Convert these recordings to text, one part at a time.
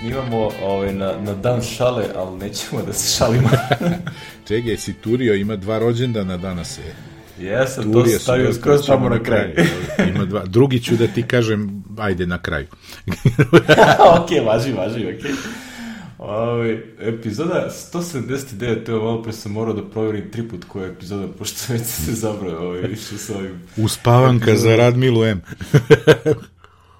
Snimamo na dan šale, ali nećemo da se šalimo. Čekaj, si turio, ima 2 rođendana danas je. Jesam, to se stavio skroz tamo na kraju. Ima 2. Drugi ću da ti kažem, ajde na kraju. Ok, važi, okej. Epizoda 179, evo malo pre sam morao da provjerim 3 put koja je epizoda, pošto već se zabrao više s ovim. Uspavanka za Radmilu M.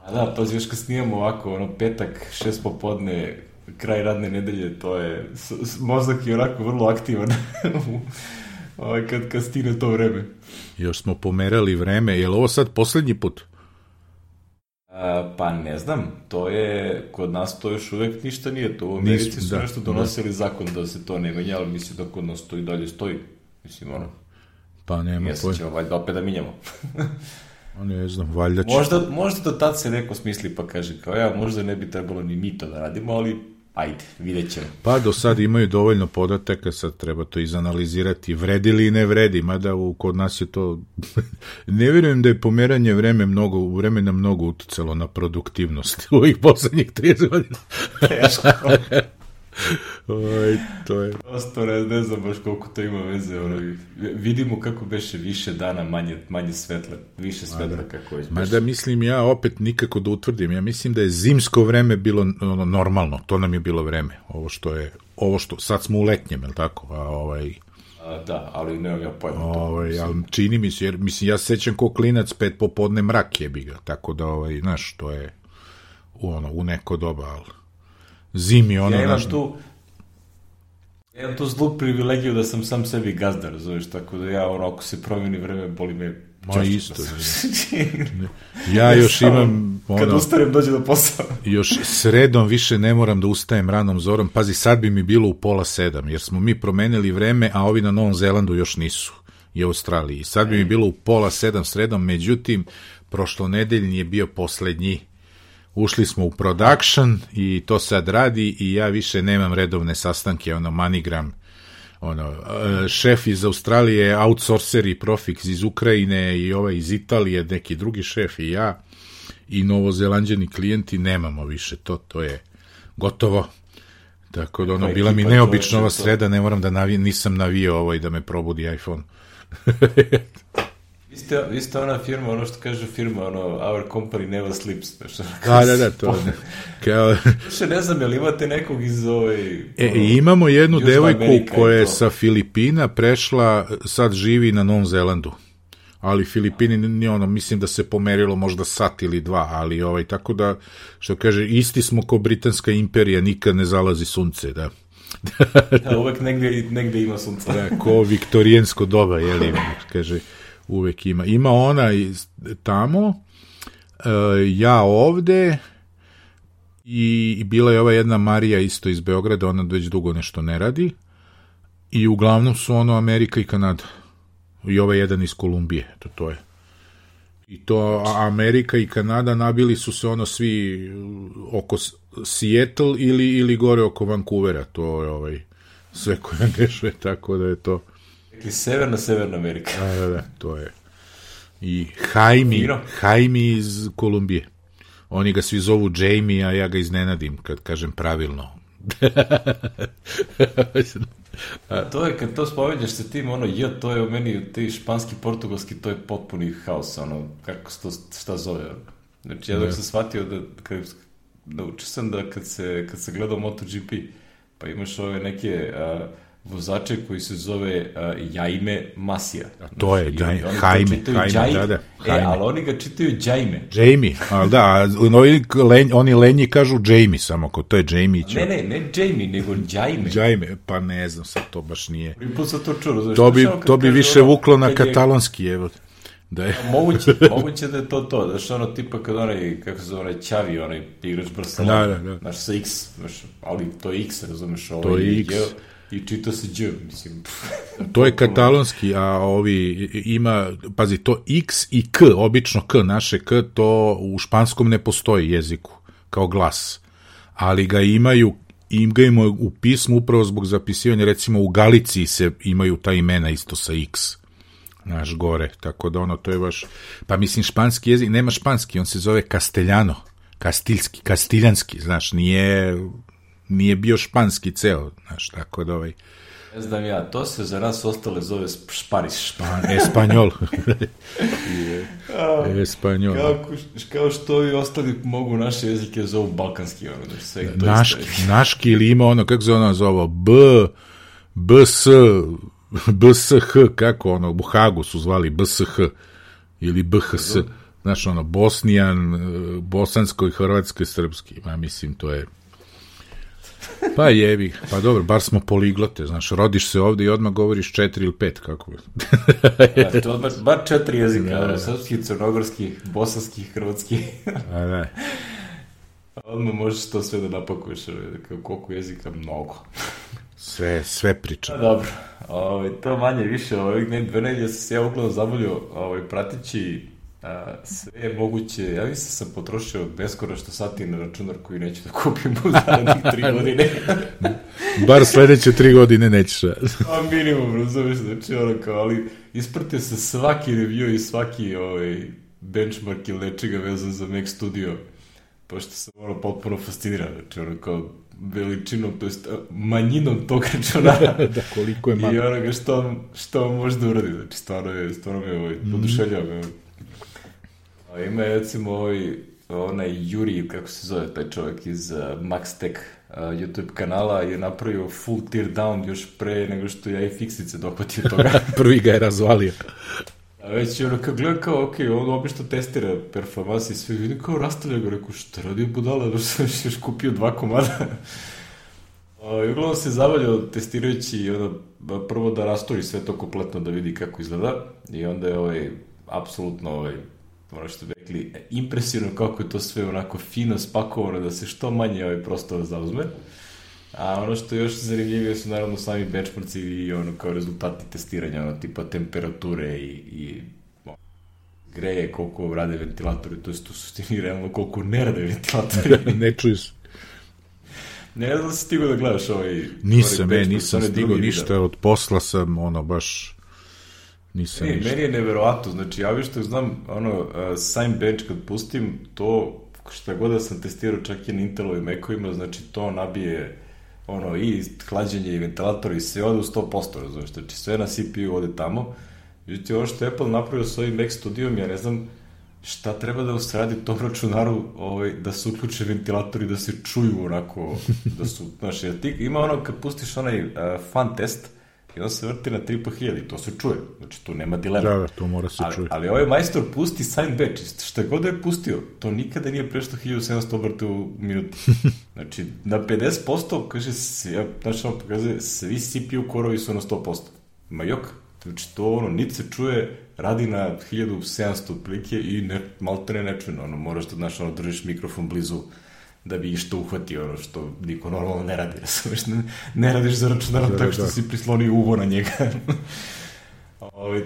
A da, pazi, još kad snimamo ovako, petak, 6 popodne, kraj radne nedelje, to je, mozak je onako vrlo aktivan kad stigne to vreme. Još smo pomerali vreme, je li ovo sad poslednji put? Pa ne znam, to je, kod nas to još uvek ništa nije, to u Americi su nešto donosili zakon da se to ne menja, ali mislim da kod nas to i dalje stoji, mislim pa nema pojma. Ćemo valjda opet da minjamo. Ne znam, valjda će... Možda do tad se neko smisli pa kaže kao možda ne bi trebalo ni mi to da radimo, ali ajde, vidjet ćemo. Pa do sad imaju dovoljno podataka, sad treba to izanalizirati, vredi li i ne vredi, mada kod nas je to... Ne vjerujem da je pomeranje vremena mnogo uticalo na produktivnost u ovih poslednjih 30 godina. Teško. To je... Prosto ne znam baš koliko to ima veze. Vidimo kako beše više dana, manje svetla, više svetla kako već beše. Mada mislim ja opet nikako da utvrdim. Ja mislim da je zimsko vreme bilo normalno. To nam je bilo vreme. Ovo što sad smo u letnjem, je li tako? Da, ali nemam ja pojma. Ali čini mi se, jer mislim ja se sećam ko klinac 5 popodne mrak jebi ga. Tako da, znaš, to je u neko doba, ali zimi ja imam tu zlu privilegiju da sam sam sebi gazda, razumiješ, tako da ja ako se promeni vreme, boli me češće. Isto. Ja još imam... Kad ustanem, dođe do posla. Još sredom više ne moram da ustajem ranom zorom. Pazi, sad bi mi bilo u 6:30, jer smo mi promenili vreme, a ovi na Novom Zelandu još nisu, i Australiji. Sad bi mi bilo u 6:30 sredom, međutim, prošlonedeljni je bio poslednji. Ušli smo u production i to sad radi i ja više nemam redovne sastanke, manigram, šef iz Australije, outsourcer i Profix iz Ukrajine i iz Italije, neki drugi šef i ja i novozelanđani klijenti, nemamo više, to je gotovo. Tako da bila mi neobična ova sreda, ne moram da nisam navio i da me probudi iPhone. Vi ste ona firma, što kaže firma, our company never sleeps. Da, to je. Više ne znam, jel imate nekog iz imamo jednu devojku koja je sa Filipina prešla, sad živi na Novom Zelandu. Ali Filipini, mislim da se pomerilo možda sat ili 2, ali tako da, što kaže, isti smo ko Britanska imperija, nikad ne zalazi sunce, da. Da, uvek negde ima sunce. Da, ko viktorijansko doba, jeli, kaže... Uvek ima. Ima ona tamo, ja ovde i bila je ova jedna Marija isto iz Beograda, ona već dugo nešto ne radi i uglavnom su Amerika i Kanada i ovaj jedan iz Kolumbije, to je. I to Amerika i Kanada nabili su se svi oko Seattle ili gore oko Vancouvera, to je sve koje dešuje, tako da je to... Severna Amerika. Da, to je. I Jaime iz Kolumbije. Oni ga svi zovu Jamie, a ja ga iznenadim kad kažem pravilno. To je, kad to spomenješ sa tim, to je u meni, ti španski, portugalski, to je potpuni haos, kako se to, šta zove. Znači, ja dok sam shvatio naučio sam da kad se gledao MotoGP, pa imaš ove neke... vozače koji se zove Jaime Masija. To je Jaime, da. Ali oni ga čitaju Jaime. Jamie, ali da, oni lenji kažu Jamie samo, to je Jamie. Ne Jamie, nego Jaime. Jaime, pa ne znam, sad to baš nije. Prvi put sam to čuo. To bi više vuklo na katalonski, evo. Moguće da je to, znaš tipa kad kako se zove, Čavi, igrač Barcelona, znaš sa X, ali to je X, razumeš, to je X. I čita se Đ, mislim. To je katalonski, a ovi ima, pazi, to X i K, obično K, naše K, to u španskom ne postoji jeziku, kao glas. Ali ga imaju u pismu upravo zbog zapisivanja, recimo u Galiciji se imaju ta imena isto sa X, naš gore, tako da to je baš, pa mislim španski jezik, nema španski, on se zove Castellano, kastiljanski, znaš, nije bio španski ceo, znaš, tako da Ne znam ja, to se za nas ostale zove šparis. Espanjol. Espanjol. Kao što i ostali mogu naše jezike zovu balkanski. Naški ili ima ono, kako se ono zove, BSH, kako ono, u Hagu su zvali BSH ili BHS, znaš ono, Bosnijan, bosansko i hrvatsko i srpski, mislim, to je pa jebi, pa dobro, bar smo poliglote, znaš, rodiš se ovde i odmah govoriš 4 ili 5, kako je. To bar 4 jezika, srpski, crnogorski, bosanski, hrvatski. Da. Odmah možeš to sve da napakuješ, koliko jezika, mnogo. Sve priča. Dobro, to manje više, dve nedelje sam se ja uglavnom zavolio pratići sve moguće, ja mislim sam potrošio beskonačno sati na računar koji neću da kupim u zadnjih 3 godine. Bar sledeće 3 godine nećeš. Minimum, razumiješ, znači ali ispratio se svaki review i svaki benchmark ili nečega vezan za Mac Studio, pošto sam potpuno fasciniran, znači veličinom, to jest manjinom tog računara. Da, koliko je malo. I onoga što on može da uradi, znači stvarno me podušeljava. Ima je recimo onaj Juri, kako se zove taj čovjek iz MaxTech YouTube kanala, je napravio full tear down još pre nego što ja i fiksice dohvatio toga. Prvi ga je razvalio. A već je kad gleda kao, on obično testira performansi i sve, vidim kao rastavlja ga, rekao, šta radio budala, da sam još kupio 2 komada. I uglavnom se zavaljao testirajući prvo da rastori sve to kompletno da vidi kako izgleda i onda je apsolutno ono što bi rekli, impresivno kako je to sve onako fino spakovano da se što manje prostora zauzme. A ono što je još zanimljivije su naravno sami benchmarci i kao rezultati testiranja, tipa temperature i greje, koliko rade ventilatori, to je u suštini realno koliko ne rade ventilatori. Ne čuju se. Ne znam da si stigao da gledaš nisam stigao ništa, od posla sam baš nisam ništa. Meni je neverovatno, znači ja što znam, Sign Bench kad pustim, to šta god da sam testirao čak i na Intelovim Mac-ovima, znači to nabije i hlađenje i ventilator i sve ode u 100%, razumiješ, znači sve na CPU ode tamo. Međutim, ono što je Apple napravio s ovim Mac Studijom, ja ne znam šta treba da usradi tom računaru da se uključe ventilatori, da se čuju onako, da su, znaš, ima kad pustiš onaj fan test i on se vrti na 3500 i to se čuje, znači tu nema dilema. Da, to mora se čuje. Ali ovaj majstor pusti Sign Bench, šta god da je pustio, to nikada nije prešlo 1700 obrata u minuti. Znači, na 50%, kaže, znači pokazuje, svi CPU korovi su na 100%. Ma jok, znači to niti se čuje, radi na 1700 otprilike i maltene nečujno, moraš da, znaš, držiš mikrofon blizu da bi što uhvatio, što niko normalno ne radi, ne radiš za računarom tako što si prislonio uvo na njega.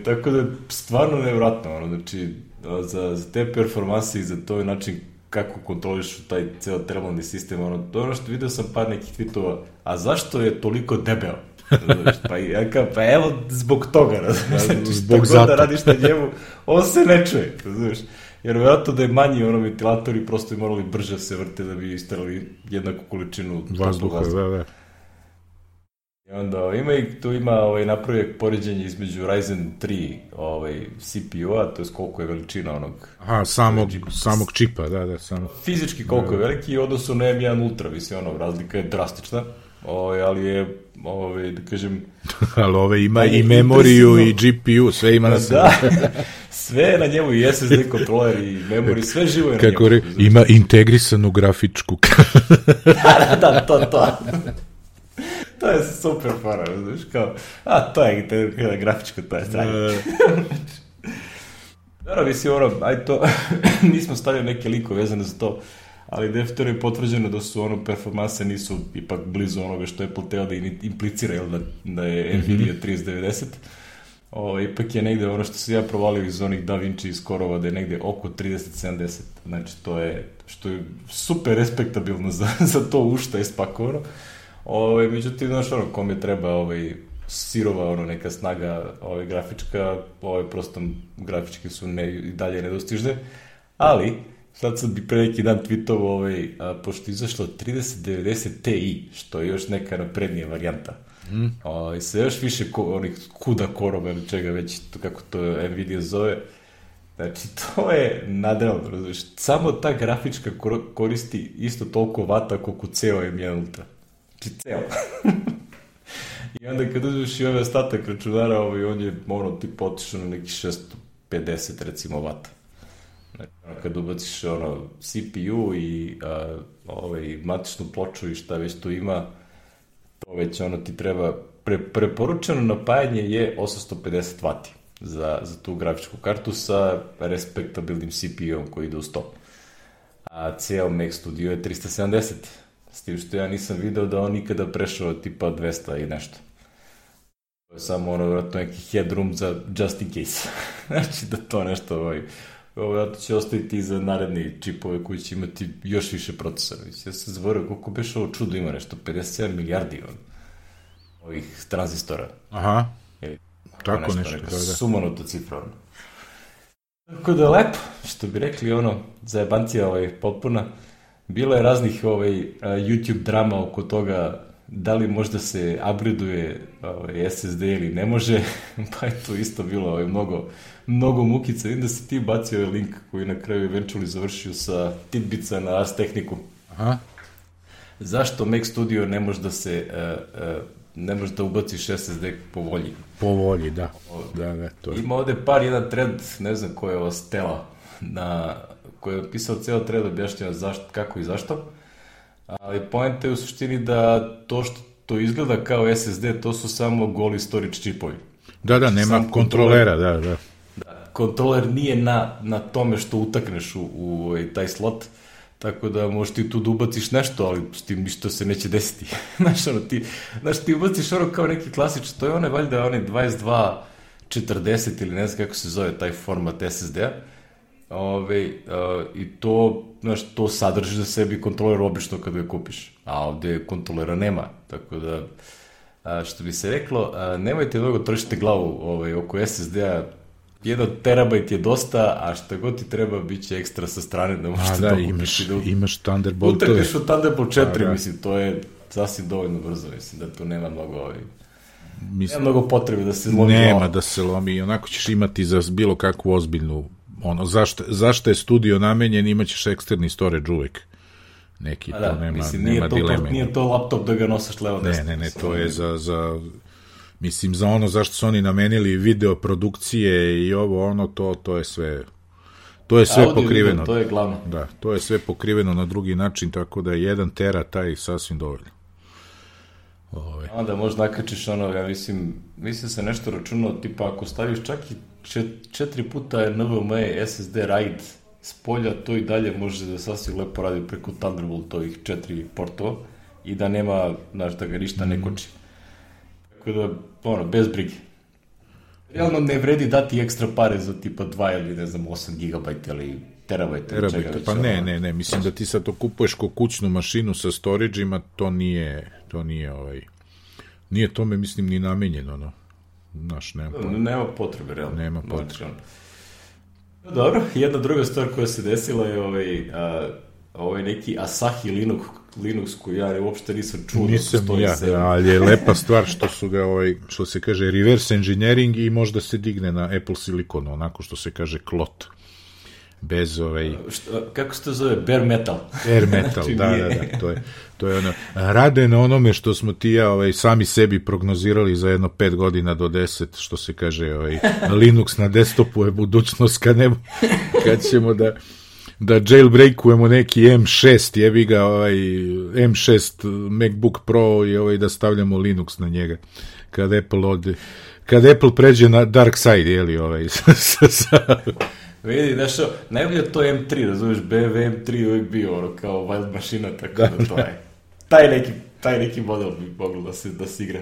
Tako da, stvarno nevratno, znači, za te performanse i za to način kako kontroliš taj ceo termalni sistem, što vidio sam par nekih tweetova, a zašto je toliko debeo? Pa evo, zbog toga, znači, zbog šta god da radiš na njemu, on se ne čuje, znaš. Jer vjerojatno da je manji ventilatori prosto bi morali brže se vrte da bi istarali jednaku količinu vazduha. Da. I onda ima napravio poređenje između Ryzen 3 CPU-a, to je koliko je veličina onog... Aha, samog čipa, da. Fizički koliko je veliki i odnosu na M1 Ultra, mislim, razlika je drastična. Ali je, da kažem... Ali ima i memoriju i GPU, sve ima na sebe. Da, sve je na njemu, i SSD kontroler i memoriju, sve živo je na njemu. Kako ima integrisanu grafičku. Da, to. To je super fora, znaš, kao, to je grafička, to je stranje. Dobro, mislim, to, nismo stavili neke likove vezane za to, ali definitivno je potvrđeno da su performanse nisu ipak blizu onoga što Apple teo da implicira, da je Nvidia 3090. Ipak je negde što se ja provalio iz onih Da Vinci skorova da je negde oko 3070. Znači to je, što je super respektabilno za to u šta je spakovano. Međutim, znaš, kome treba sirova neka snaga grafička, prosto grafičke su i dalje nedostižne, ali sad sam bi pre neki dan tweetovao, pošto je izašlo 3090 Ti, što je još neka naprednija varijanta. I sa još više onih kuda korova ili čega već, kako to Nvidia zove. Znači, to je nadrealno, razumiješ. Samo ta grafička koristi isto toliko vata koliko ceo M1 Ultra. Znači, ceo. I onda kad uzmeš i ovaj ostatak računara, on je tipa otišao na neki 650 recimo vata. Znači, kad ubaciš CPU i matičnu ploču i šta već tu ima, to već ti treba, preporučeno napajanje je 850 vati za tu grafičku kartu sa respektabilnim CPU-om koji ide uz to. A ceo Mac Studio je 370, s tim što ja nisam video da on nikada prešao tipa 200 i nešto. To je samo vjerojatno neki headroom za just in case. Znači da to nešto to će ostaviti i za naredni čipove koji će imati još više procesora. Ja se zavorio koliko beš ovo čudo ima nešto, 57 milijardi ovih tranzistora. Aha, tako nešto. Neka sumanuta cifra. Tako da lepo, što bi rekli zajebancija potpuna. Bilo je raznih YouTube drama oko toga da li možda se upgradeuje SSD ili ne može, pa je to isto bilo mnogo mukica. Vidim da si ti bacio link koji na kraju eventually završio sa Tidbica na Ars Techniku. Aha. Zašto Mac Studio ne može da se ne može da ubaciš SSD po volji? Po volji, da. To je. Ima ovde jedan thread, ne znam ko je ova Stella, koji je pisao ceo thread, objašnjava kako i zašto. Ali poenta je u suštini da to što to izgleda kao SSD, to su samo goli storage čipovi. Da, nema kontrolera, da. Kontroler nije na tome što utakneš u taj slot, tako da možeš ti tu da ubaciš nešto, ali s tim ništa se neće desiti. Znaš, ti ubaciš kao neki klasičan, to je valjda 2240 ili ne znam kako se zove taj format SSD-a. I to, to sadrži za sebi kontroler obično kada ga kupiš, a ovde kontrolera nema, tako da, što bi se reklo, nemojte mnogo trošiti glavu oko SSD-a, 1 terabajt je dosta, a šta god ti treba, bit će ekstra sa strane da možete imaš Thunderboltove. Utrkaš u Thunderbolt 4, mislim, to je sasvim dovoljno brzo, mislim, da tu nema mnogo potrebe da se lomi. Nema da se lomi, onako ćeš imati za bilo kakvu ozbiljnu zašto je studio namenjen, imaćeš eksterni storage uvek. Neki, to nema dileme. Nije to laptop da ga nosaš levo desno. Ne, to je za mislim, za zašto su oni namenili video produkcije i to je sve pokriveno. Video, to je glavno. Da, to je sve pokriveno na drugi način, tako da je 1 tera taj sasvim dovoljno. Onda možda nakačiš ja mislim se nešto računao, tipa ako staviš čak i 4 puta NVMe SSD RAID s polja, to i dalje može da sasvim lepo radi preko Thunderboltovih 4 portova i da nema, da ga ništa ne koči. Tako da, bez brige. Realno ne vredi dati ekstra pare za tipa 2 ili ne znam 8 GB ili terabajta. Pa ne, mislim da ti sad to kupuješ ko kućnu mašinu sa storage-ima, to nije tome, mislim, ni namenjeno, nema potrebe, realno. Nema potrebe. Dobro, jedna druga stvar koja se desila je ovaj neki Asahi Linux koji ja uopšte nisam čuo. Nisam ali je lepa stvar što su ga, što se kaže, reverse engineering i možda se digne na Apple Silicon, onako što se kaže klot. Bez kako se to zove? Bare metal. Bare metal, da, to je rade na onome što smo ti ja sami sebi prognozirali za jedno 5 godina do 10, što se kaže, Linux na desktopu je budućnost kad ćemo da jailbreakujemo neki M6, jebi ga, M6 MacBook Pro i da stavljamo Linux na njega, kad Apple pređe na dark side, jeli, Vidi, najbolje to je M3, razumiješ, BMW M3 uvijek bio kao wild mašina, tako da to je. Taj neki model bi moglo da se igra.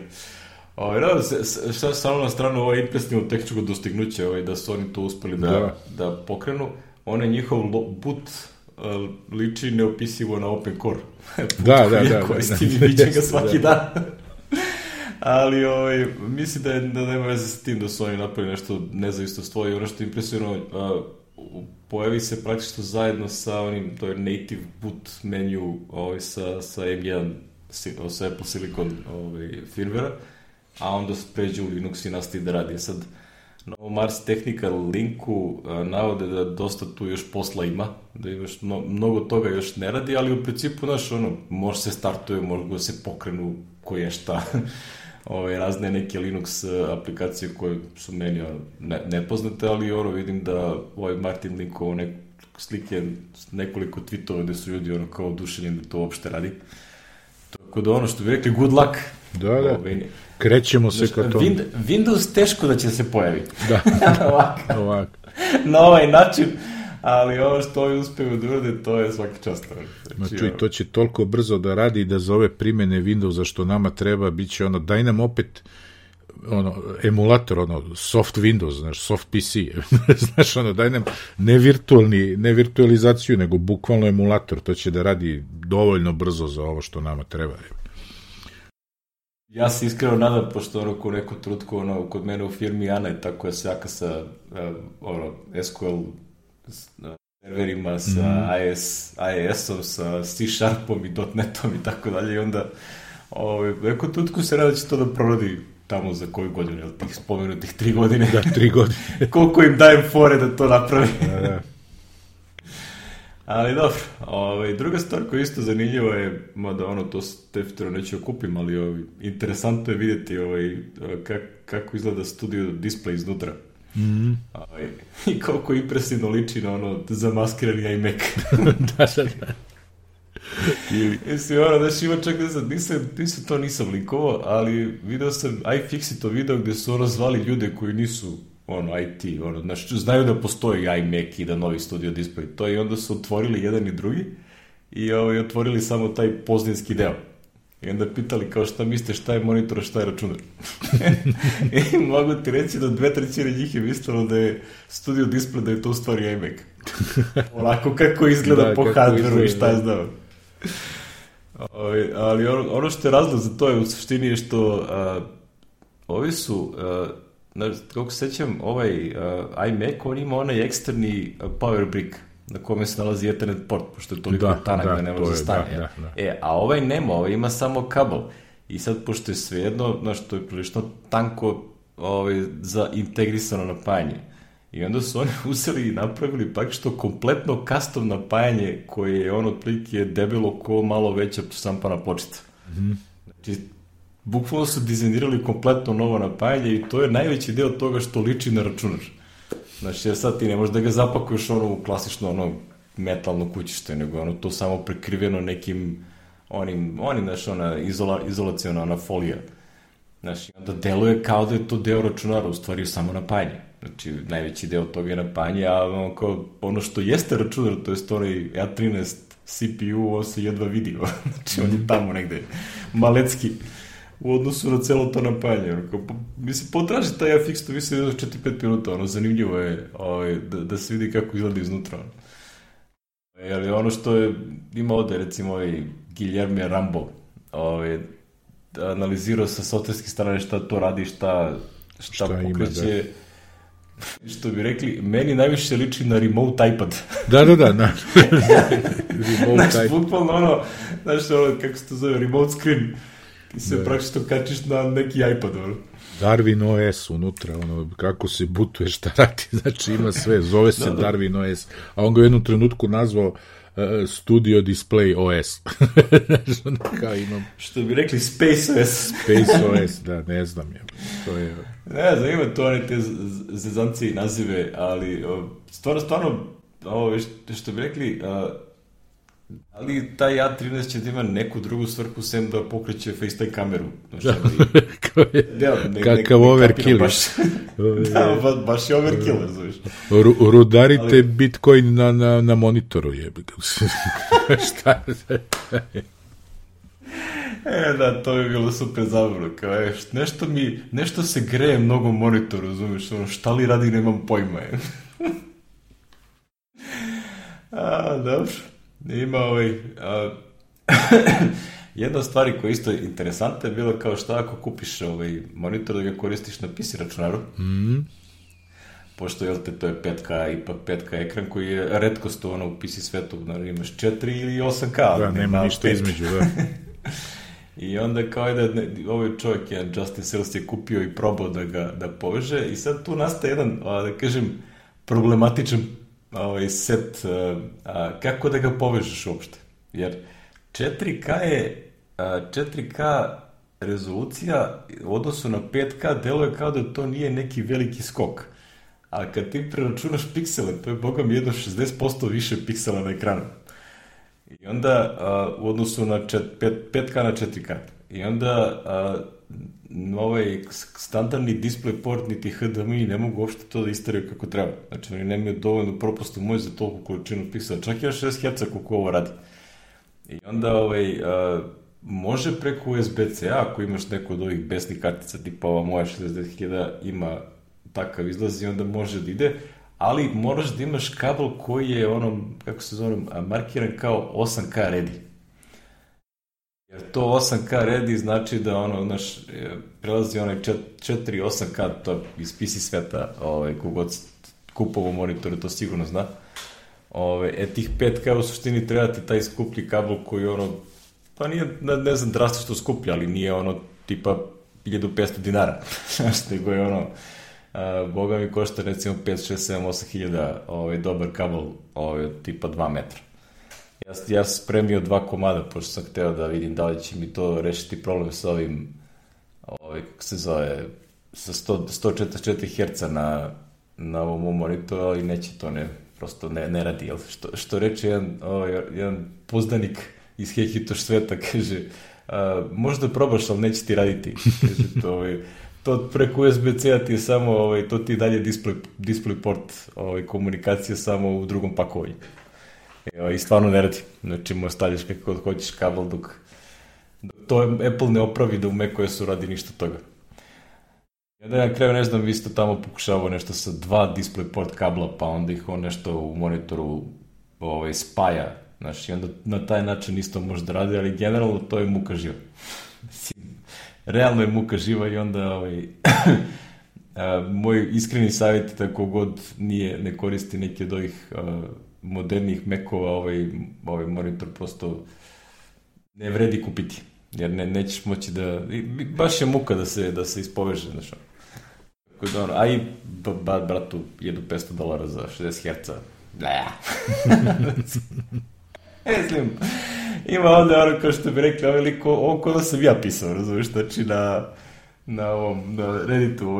Šta samo na stranu ovo impresivno tehničko dostignuće, da su oni to uspeli da pokrenu, njihov boot liči neopisivo na Open Core. Da. Koristim i viđem ga svaki dan. Ali mislim da nema veze sa tim da su oni napravili nešto nezavisno svoje. Ono što je impresivno, pojavi se praktično zajedno sa onim, to je native boot menu sa M1, sa Apple Silicon firmware, a onda pređe u Linux i nastavi da radi. Sad, na ovom Ars Technical linku navode da dosta tu još posla ima, da imaš mnogo toga još ne radi, ali u principu, može se startuje, može se pokrenu koje šta, razne neke Linux aplikacije koje su meni nepoznate, ali vidim da Martin linkovao slike, nekoliko tweetova gde su ljudi kao oduševljeni da to uopšte radi. Tako da što bi rekli, good luck. Da. Krećemo se ka tomu. Windows teško da će se pojaviti. Da. Ovako. Na ovaj način, ali ovo što ovi uspeju da urade, to je svaki čast. Znači, to će toliko brzo da radi da za ove primene Windowsa što nama treba, bit će daj nam opet emulator, soft Windows, soft PC, daj nam ne virtualizaciju, nego bukvalno emulator, to će da radi dovoljno brzo za ovo što nama treba. Ja se iskreno nadam, pošto u neku trutku kod mene u firmi Ana je tako je sjaka sa SQL serverima, sa IIS-om, sa C-Sharpom i .NET-om i tako dalje, i onda neku trutku se rada će to da proradi tamo za koju godinu, tih spomenutih 3 godine. Da, 3 godine. Koliko im dajem fore da to napravi. Da. Ali dobro, druga stvar koja je isto zanimljiva je, mada to definitivno neću okupim, ali interesantno je vidjeti kako izgleda studio display iznutra. I koliko impresivno liči na zamaskirani iMac. Da. Mislim, ima čak nisam linkovao, ali video sam, iFixit to video gde su zvali ljude koji nisu IT, znaju da postoji iMac i da novi studio display, to i onda su otvorili jedan i drugi i otvorili samo taj pozdinski deo. I onda pitali kao šta mislite, šta je monitor, a šta je računar. I mogu ti reći da 2/3 njih je mislilo da je studio display, da je to u stvari iMac. Onako kako izgleda po hardwareu i šta je znao. Ali ono što je razlog za to je u suštini je što ovi su, kako se sećam, iMac, on ima onaj eksterni power brick na kome se nalazi Ethernet port, pošto je toliko tanak da ne može stane. A ovaj nema, ovaj ima samo kabel. I sad, pošto je svejedno, to je prilično tanko za integrisano napajanje. I onda su oni uzeli i napravili praktično kompletno custom napajanje koje je otprilike debelo ko malo veća šampana pločica. Znači, bukvalno su dizajnirali kompletno novo napajanje i to je najveći deo toga što liči na računar. Znači, sad ti ne možeš da ga zapakuješ u klasično metalno kućište, nego to samo prekriveno nekim izolacijona folija. Znači, onda deluje kao da je to deo računara, u stvari samo napajanje. Znači, najveći deo toga je napajanje, a ono što jeste računar, to je onaj A13 CPU, on se jedva vidio. Znači, on je tamo negde malecki u odnosu na celo to napajanje. Mislim, potraži taj FX, to mislim da 4-5 minuta, zanimljivo je da se vidi kako izgleda iznutra. Jer ono što je, ima ovde, recimo, Guillermo Rambo, analizirao sa softverske strane šta to radi, šta pokreće. Što bi rekli, meni najviše liči na remote iPad. Da. Znači, bukvalno kako se to zove, remote screen. Ti se praktično kačiš na neki iPad. Darwin OS unutra, kako se butuje, šta radi, znači ima sve, zove se Darwin OS, a on ga u jednom trenutku nazvao Studio Display OS. Što bi rekli Space OS. Space OS, da, ne znam. Ne znam, ima to one te zezancije i nazive, ali stvarno, što bi rekli, ali taj A13 će da ima neku drugu svrhu sem da pokreće FaceTime kameru. Kakav overkill. Da, baš je overkill, razumiješ. Rudarite Bitcoin na monitoru, jebi ga. Šta? Da, to bi bilo super zabavno. Nešto se greje mnogo monitoru, razumiješ, šta li radi, nemam pojma. Dobro. Ima jedna stvar koja je isto interesantna je bila kao šta ako kupiš monitor da ga koristiš na PC računaru. pošto jel te, to je 5K, ipak 5K ekran koji je retkost u PC svetu, imaš 4 ili 8K. Da, nema ništa 5. između, da. I onda kao ovaj čovjek, jedan Justin Sales je kupio i probao da poveže i sad tu nastaje jedan, da kažem, problematičan set, kako da ga povežeš uopšte. Jer 4K rezolucija u odnosu na 5K deluje kao da to nije neki veliki skok. A kad ti preračunaš piksele, to je boga mi jedno 60% više piksela na ekranu. I onda u odnosu na 5K na 4K. I onda ovaj standardni DisplayPort niti HDMI ne mogu uopšte to da istaraju kako treba. Znači oni nemaju dovoljnu propusnu moć za toliko količinu piksela. Čak i 60 Hz koliko ovo radi. I onda može preko USB-C, ako imaš neku od ovih besnih kartica, tipa ova moja 60.000 ima takav izlaz i onda može da ide, ali moraš da imaš kabel koji je kako se zove, markiran kao 8K ready. Jer to 8K ready znači da prelazi onaj 4-8K, to je iz PC sveta, kogod kupovo monitore, to sigurno zna. Tih 5K u suštini treba ti taj skuplji kabel koji pa nije, ne znam, drastično skuplji, ali nije tipa 1500 dinara. Znaš, nego je boga mi košta recimo 5, 6, 7, 8 hiljada dobar kabel tipa 2 metra. Ja sam spremio 2 komada, pošto sam hteo da vidim da li će mi to rešiti problem sa ovim, kako se zove, sa 144 Hz na ovom monitoru, ali neće to, prosto ne radi. Što reče jedan pozdanik iz Hehitoš sveta, kaže, možda probaš, ali neće ti raditi. Kaže, to preko USB-C-a ti je samo, to ti je dalje DisplayPort komunikacija samo u drugom pakovanju. I stvarno ne radi. Znači, možeš stavljaš kako hoćeš kabel dok to Apple ne opravi da u macOS-u radi ništa toga. I onda na kraju, ne znam, vi ste tamo pokušavao nešto sa 2 DisplayPort kabla, pa onda ih nešto u monitoru spaja. Znači, i onda na taj način isto može da radi, ali generalno to je muka živa. Realno je muka živa i onda moj iskreni savjet, tako god ne koristi neki od ovih modernih Macova, ovaj monitor prosto ne vredi kupiti, jer nećeš moći da, baš je muka da se ispoveže, znaš. A i bratu $1,500 za 60 Hz. Mislim, ima onda kao što bi rekli, ovaj lik, ovo ko da sam ja pisao, razumiješ, znači na Redditu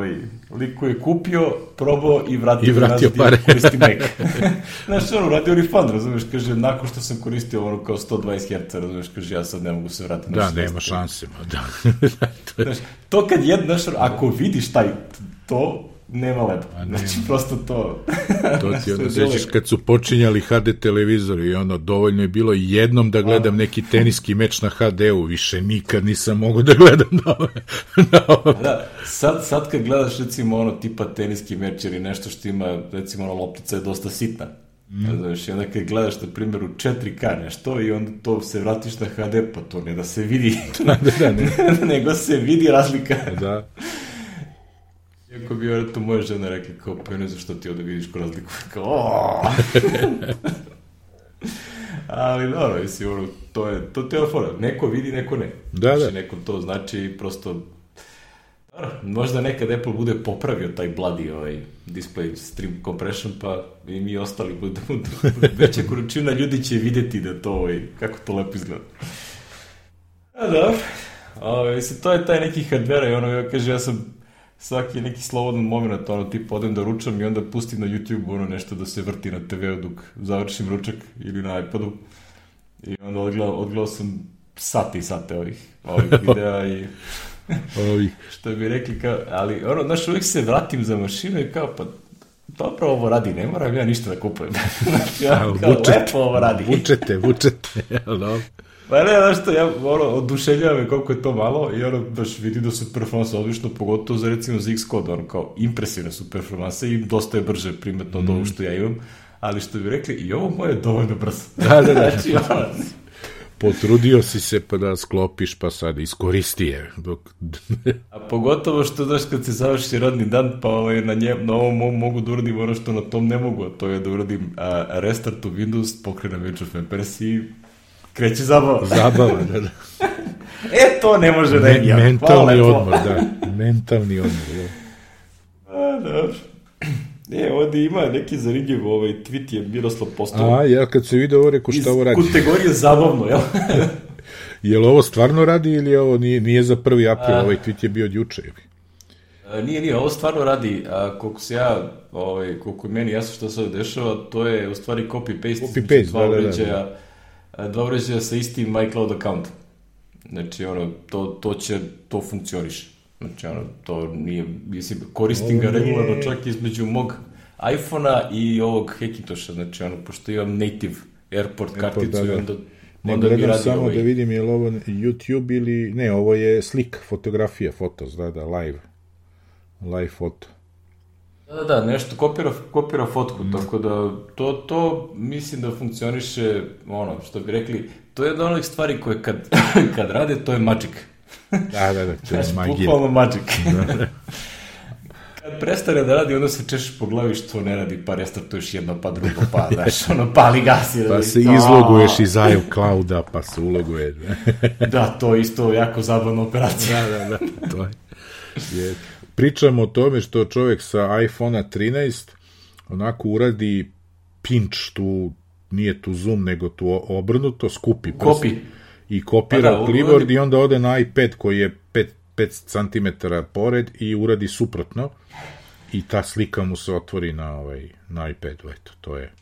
lik koji je kupio, probao i vratio pare. Koristi Mac. Znaš, radio refund, razumiješ, kaže, nakon što sam koristio kao 120 Hz, razumiješ, kaže, ja sad ne mogu se vratiti. Da, nema šanse, da. Znaš, to kad ako vidiš to, nema lepo. Znači, prosto to... To ti sećaš kad su počinjali HD televizori i dovoljno je bilo jednom da gledam neki teniski meč na HD-u, više nikad nisam mogao da gledam na ove. Da, sad kad gledaš recimo tipa teniski meč ili nešto što ima, recimo loptica je dosta sitna. Znaš, i onda kad gledaš na primjer u 4K nešto i onda to se vratiš na HD, pa to ne da se vidi, nego se vidi razlika. Da. Iako bi vjerojatno moja žena rekla kao, pa ne znam što ti ovdje vidiš ko razliku. Kao, ali dobro, mislim, to ti je fora. Neko vidi, neko ne. Znači, neko to znači prosto... Možda nekad Apple bude popravio taj bloody display stream compression, pa i mi ostali budemo veća količina ljudi će vidjeti da to, kako to lepo izgleda. A dobro, mislim, to je taj neki hardware i kaže, ja sam svaki neki slobodan moment, tipa odem da ručam i onda pustim na YouTube nešto da se vrti na TV-u dok završim ručak ili na iPadu. I onda odgledao sam sate ovih videa i što bi rekli kao, ali znaš, uvijek se vratim za mašinu i kao, pa dobro ovo radi, ne moram ja ništa da kupujem. Znači, lepo ovo radi. Vučete, jel? Pa ne, znaš što, oduševljava me koliko je to malo i baš vidim da su performanse odlično, pogotovo za recimo za Xcode, kao impresivne su performanse i dosta je brže primetno od ovo što ja imam, ali što bi rekli, i ovo moje je dovoljno brzo. Da. Znači, Potrudio si se pa da sklopiš, pa sad iskoristi je. A pogotovo što, znaš, kad se završi radni dan, pa na ovom mogu da uradim ono što na tom ne mogu, a to je da uradim restart u Windows, pokrenem Age of Empires i kreće zabava. Zabava, da. To ne može da je mentalni odmor, da. Mentalni odmor, da. Dobro. Ovdje ima neki zanimljiv tweet je Miroslav postao. Ja kad se vidio ovo, rekao šta ovo radi. Iz kategorije zabavno, jel? Je li ovo stvarno radi ili ovo nije za 1. april, ovaj tweet je bio od juče? Nije, ovo stvarno radi, koliko se ja, koliko je meni jasno što se ovdje dešava, to je u stvari copy-paste, dva uređaja sa istim iCloud accountom. Znači, to funkcioniše. Znači, to nije, mislim, koristim ga regularno čak između mog iPhone-a i ovog Hackintosha, znači, pošto imam native airport karticu i onda mi radi samo da vidim je li ovo YouTube ili, ne, ovo je slika, fotografija, fotos, da, live foto. Da, nešto kopira fotku, tako da to mislim da funkcioniše, što bi rekli, to je jedna onih stvari koje kad rade, to je magic. Da, to je magija. Bukvalno magic. Kad prestane da radi, onda se češeš po glavi što ne radi, pa restartuješ jedno, pa drugo, pa pali gas. Pa se izloguješ iz iClouda, pa se uloguješ. Da, to je isto jako zabavna operacija. Da, to je. Pričamo o tome što čovjek sa iPhone-a 13 onako uradi pinch, nije tu zoom, nego tu obrnuto, skupi prst i kopira clipboard i onda ode na iPad koji je 5 cm pored i uradi suprotno i ta slika mu se otvori na iPadu, eto, to je.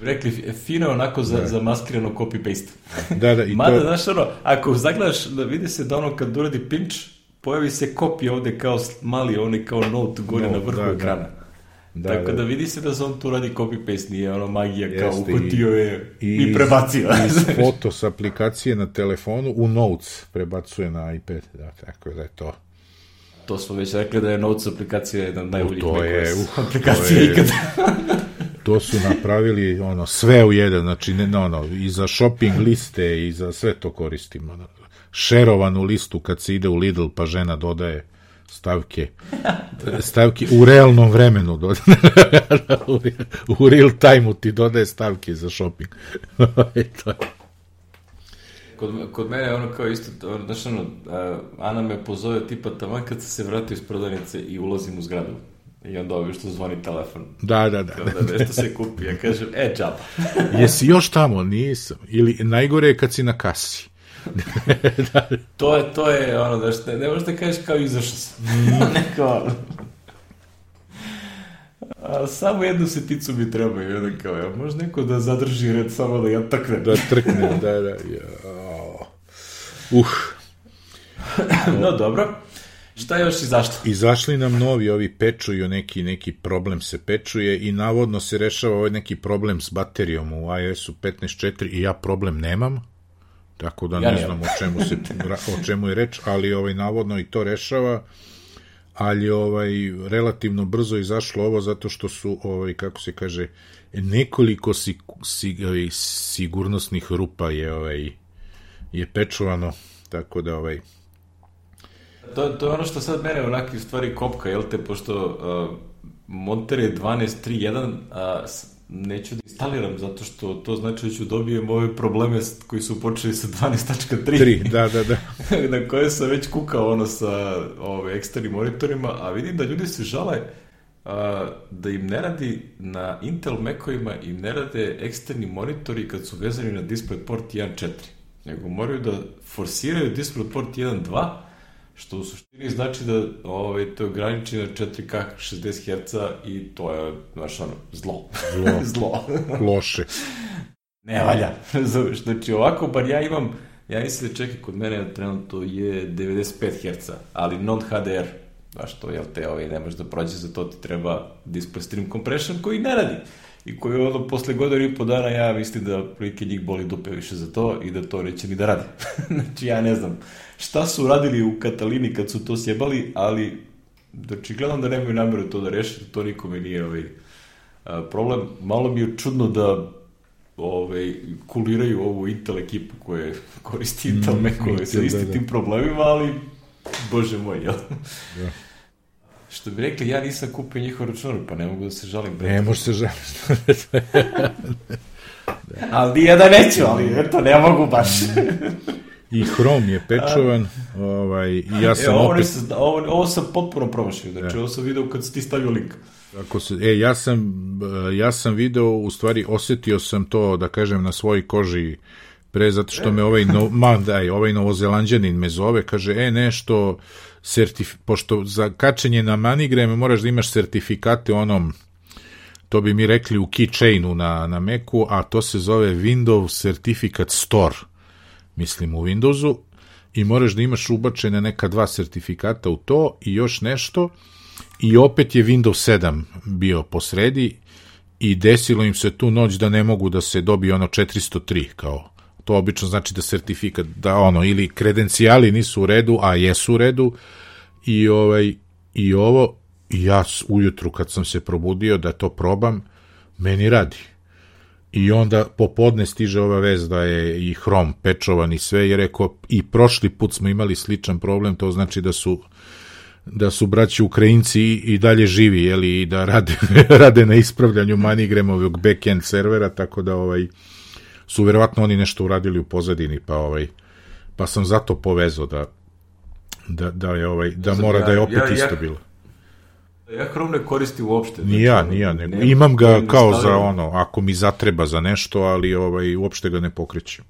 Rekli, fino onako za maskirano copy-paste. Da, i mada, znaš, ako zagledaš, da vidi se da kad uradi pinch, pojavi se kopija ovde kao mali, kao note gore na vrhu ekrana. Tako da vidi se da se on tu radi copy-paste, nije magija kao uhvatio je i prebacio. Iz fotos aplikacije na telefonu u Notes prebacuje na iPad, tako da je to. To smo već rekli da je Notes aplikacija jedna od najboljih aplikacija ikada. To su napravili sve u jedan, znači i za shopping liste i za sve to koristimo. Šerovanu listu kad se ide u Lidl pa žena dodaje stavke u realnom vremenu u real time-u ti dodaje stavke za shopping. Kod mene kao isto, Ana me pozove tipa taman kad se vratio iz prodavnice i ulazim u zgradu. I onda što zvoni telefon. Da. Nešto se kupi. Ja kažem, džaba. Jesi još tamo? Nisam. Ili najgore je kad si na kasi. To je ne možeš da kažeš kao izašao sam. Samo jednu seticu mi treba i onda kao, može neko da zadrži red samo da ja trknem. Da trknem, da. No, dobro. Šta je još izašlo? Izašli nam novi, ovi pečuju, neki problem se pečuje i navodno se rešava ovaj neki problem s baterijom u iOS-u 15.4 i ja problem nemam, tako da ne znam o čemu je reč, ali navodno i to rešava, ali relativno brzo izašlo ovo zato što su, kako se kaže, nekoliko sigurnosnih rupa je pečuvano, tako da To je ono što sad mene onakve stvari kopka, jel te, pošto Monterey 12.3.1 neću da instaliram, zato što to znači da ću dobijem ove probleme koji su počeli sa 12.3. Da. Na koje sam već kukao sa eksternim monitorima, a vidim da ljudi se žale da im ne radi na Intel Mac-ovima, im ne rade eksterni monitori kad su vezani na DisplayPort 1.4, nego moraju da forsiraju DisplayPort 1.2, što u suštini znači da to ograniči na 4K 60 Hz i to je, zlo. Loše. Ne valja. Znači, ovako, bar ja mislim da čekaj, kod mene trenutno je 95 Hz, ali non-HDR. Znaš, to, jel te, ne možeš da prođe, za to ti treba Display Stream Compression koji ne radi. I koji posle godinu i po dana ja mislim da prilike njih boli dupe više za to i da to neće ni da radi. Znači, ja ne znam šta su radili u Katalini kad su to sjebali, ali očigledno da nemaju namjeru to da reše, to nikome nije problem. Malo mi je čudno da kuliraju ovu Intel ekipu koja koristi Intel Mac-ove sa istim tim problemima, ali bože moj, jel? Da. Što bi rekli, ja nisam kupio njihov računar, pa ne mogu da se žalim. Ne možeš se žalim. Ali nije da neću, ali eto, ne mogu baš. I Chrome je pečovan, i ja sam opet... Ovo sam potpuno promašio, znači ovo sam video kad si ti stavio link. Ja sam video, u stvari osetio sam to, da kažem, na svojoj koži pre, zato što me ovaj Novozelanđanin me zove, kaže, nešto, pošto za kačenje na MoneyGram moraš da imaš sertifikate onom, to bi mi rekli u keychainu na Macu, a to se zove Windows Certificate Store, mislim u Windowsu, i moraš da imaš ubačene neka 2 sertifikata u to i još nešto, i opet je Windows 7 bio posredi i desilo im se tu noć da ne mogu da se dobije 403, kao to obično znači da sertifikat, da ili kredencijali nisu u redu, a jesu u redu, i ja ujutru kad sam se probudio da to probam, meni radi. I onda popodne stiže ova vez da je i Chrome pečovan i sve, jer rekao, i prošli put smo imali sličan problem, to znači da su braći Ukrajinci i dalje živi, i da rade na ispravljanju MoneyGramovog back-end servera, tako da su verovatno oni nešto uradili u pozadini, pa sam zato povezao da mora da je opet isto bilo. Ja Chrome ne koristim uopšte. Ni ja, imam ga kao za ako mi zatreba za nešto, ali uopšte ga ne pokrećem.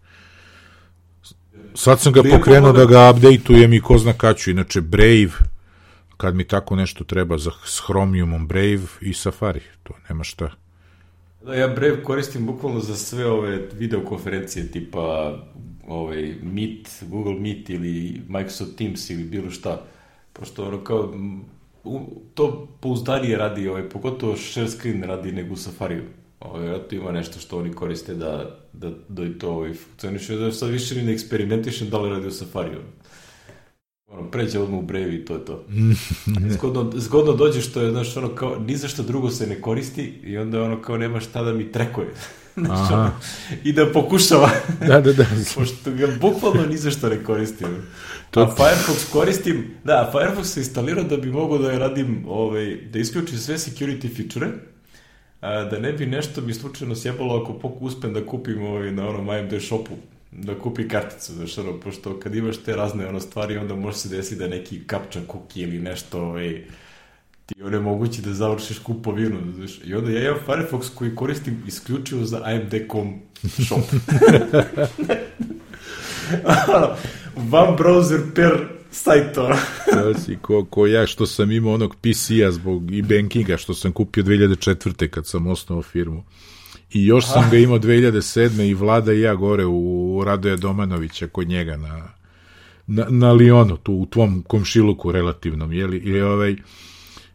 Sad sam ga pokrenuo da ga updateujem i ko zna kad ću, inače Brave, kad mi tako nešto treba s Chromiumom, Brave i Safari, to nema šta. Da, ja Brave koristim bukvalno za sve ove videokonferencije tipa Meet, Google Meet ili Microsoft Teams ili bilo šta, pošto kao to pouzdanije radi, pogotovo share screen radi nego u Safariju. To ima nešto što oni koriste da i to funkcioniše, da sad više ne eksperimentišem da li radi u Safariju. Pređe odmah u Brave i to je to. Zgodno dođe što je, kao, ni za što drugo se ne koristi i onda kao nema šta da mi trekuje. I da pokušava. Da. Pošto ga bukvalno ni za što ne koristim. A Firefox koristim, Firefox se instalirao da bi mogao da radim, da isključim sve security feature, da ne bi nešto mi slučajno sjebalo ako uspem da kupim na AMD shopu, da kupi karticu, pošto kad imaš te razne stvari, onda može se desiti da neki captcha cookie ili nešto ti onemogući da završiš kupovinu. I onda ja imam Firefox koji koristim isključivo za AMD.com shop. One browser per sajt. Ko ja što sam imao onog PC-a zbog e-bankinga što sam kupio 2004. kad sam osnovao firmu. I još sam ga imao 2007. i Vlada i ja gore u Radoja Domanovića kod njega na Lionu, tu u tvom komšiluku relativnom,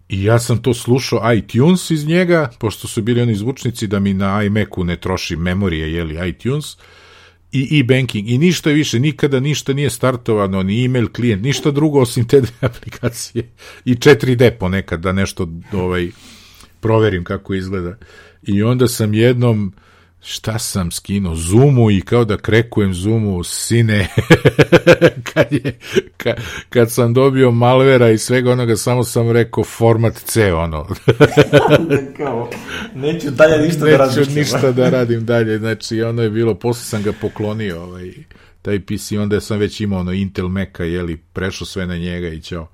i ja sam to slušao iTunes iz njega, pošto su bili oni zvučnici da mi na iMacu ne troši memorije, iTunes, i e-banking, i ništa više, nikada ništa nije startovano, ni email klijent, ništa drugo osim te 2 aplikacije, i 4D ponekad da nešto proverim kako izgleda. I onda sam jednom, šta sam skinuo, Zoomu, i kao da krekujem Zoomu, sine, kad sam dobio malvera i svega onoga, samo sam rekao format C, neću dalje ništa da radim. Neću ništa da radim dalje, znači je bilo, posle sam ga poklonio, taj PC, onda sam već imao Intel Maca, prešao sve na njega i ćao.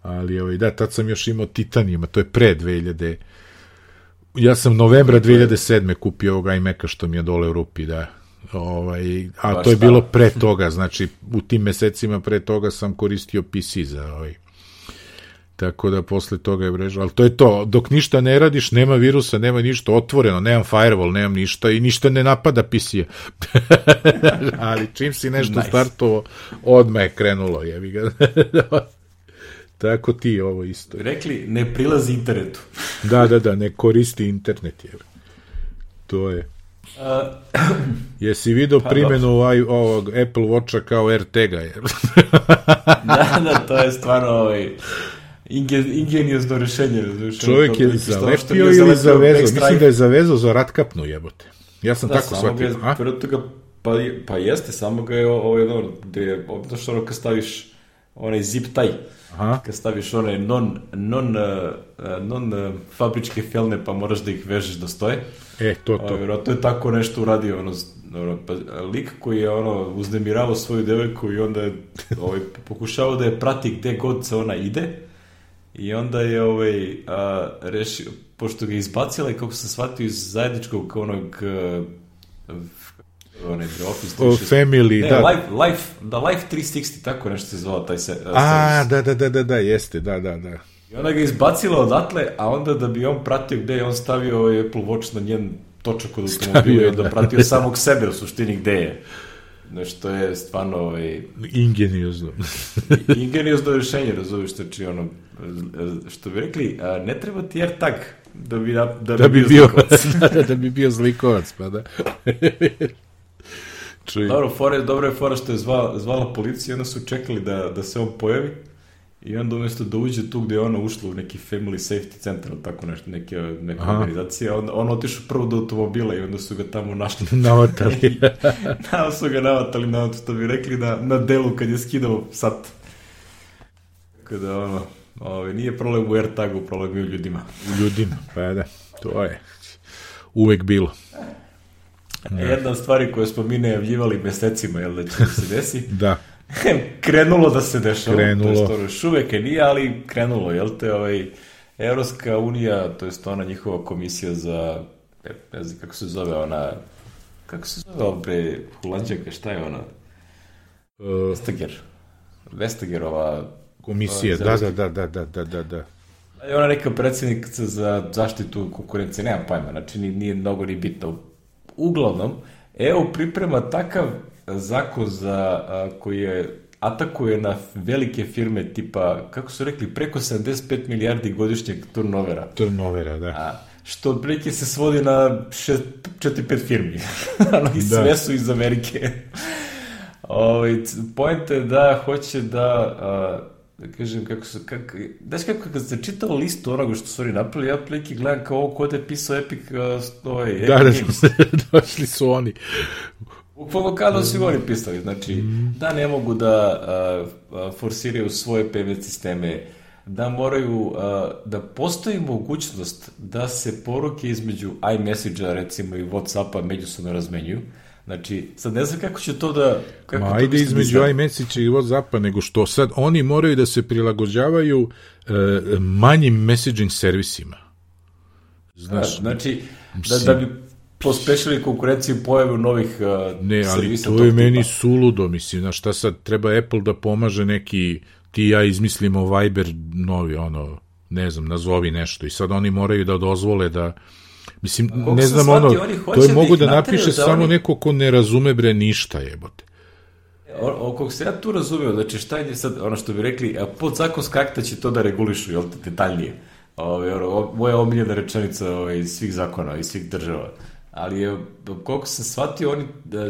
Ali tad sam još imao Titanium, to je pre 2000. Ja sam novembra 2007. kupio ovog iMac-a što mi je dole u rupi, da. A to je bilo pre toga, znači u tim mesecima pre toga sam koristio PC za tako da posle toga je mreža, ali to je to, dok ništa ne radiš, nema virusa, nema ništa otvoreno, nemam firewall, nemam ništa i ništa ne napada PC-a. Ali čim si nešto startovo, odmah je krenulo, jebi ga. Tako ti ovo isto. Rekli, ne prilazi internetu. Da, ne koristi internet. To je. Jesi vidio primjenu ovog Apple Watcha kao RTG-a? Da, to je stvarno ingeniozno rešenje. Čovjek je zalepio ili zavezao? Mislim da je zavezao za ratkapnu, jebote. Ja sam tako shvatio. Pa jeste, samo ga je gde je, znaš kad staviš onaj zip taj, kad staviš one non fabričke felne, pa moraš da ih vežeš da stoje. To. To je tako nešto uradio, lik koji je uznemiravao svoju devojku i onda je pokušavao da je prati gde god se ona ide i onda je rešio, pošto ga je izbacila i kako se shvatio iz zajedničkog onog Family, Life 360, tako nešto se zvala taj se... Da, jeste, da. I ona ga izbacila odatle, a onda da bi on pratio gde je, on stavio Apple Watch na njen točak od automobila i onda pratio samog sebe u suštini gde je. Nešto je stvarno... Ingeniozno. Ingeniozno rešenje, razumiješ, znači što bi rekli, ne treba ti AirTag da bi bio zlikovac. Da bi bio zlikovac, pa da. Dobro je fora što je zvala policija i onda su čekali da se on pojavi i onda umjesto da uđe tu gde je ona ušla u neki family safety center, tako nešto, neka organizacija, on otišao prvo do automobila i onda su ga tamo našli. Navatali. Su ga navatali, što bi rekli, na delu kad je skidao sat. Kada nije problem u AirTagu, problem je u ljudima. Pa da, to je uvek bilo. Jedna od stvari koje smo mi najavljivali mesecima, da će se desi, da. Krenulo da se dešava, to je još uvek nije, ali krenulo, Evropska unija, to je ona njihova komisija za, ne znam kako se zove Holandjaka, šta je ona? Vestagerova komisija, da. Je ona neka predsjednica za zaštitu konkurencije, nemam pojma, znači nije mnogo ni bitno. Uglavnom, EU priprema takav zakon koji atakuje na velike firme tipa, kako su rekli, preko 75 milijardi godišnjeg turnovera. Da. Što otprilike se svodi na 4-5 firmi. I sve su iz Amerike. Point je da hoće da kažem znaš kako kad se čitao listu onoga što su oni napravili, ja prilike gledam kao ovo kod je pisao Epic Games. Došli su oni. Bukvalno kada su oni pisali, znači da ne mogu da forsiraju svoje payment sisteme, da moraju, da postoji mogućnost da se poruke između iMessage-a recimo i Whatsappa međusobno razmenjuju. Znači, sad ne znam kako će to da... Ajde između iMessage i Whatsappa, nego što sad oni moraju da se prilagođavaju manjim messaging servisima. Znaš, znači, da bi pospešili konkurenciju pojavu novih servisa. Ne, ali to je meni suludo, mislim, znaš, šta sad treba Apple da pomaže neki, ti i ja izmislimo Viber novi, ne znam, nazovi nešto i sad oni moraju da dozvole da... Mislim, ne znam, to je mogu da napiše samo neko ko ne razume ništa, jebote. Kog se ja tu razumio, znači šta je sad, što bi rekli, podzakonska akta će to da regulišu, jel te, detaljnije. Moja omiljena rečenica iz svih zakona, iz svih država. Ali, koliko sam shvatio, oni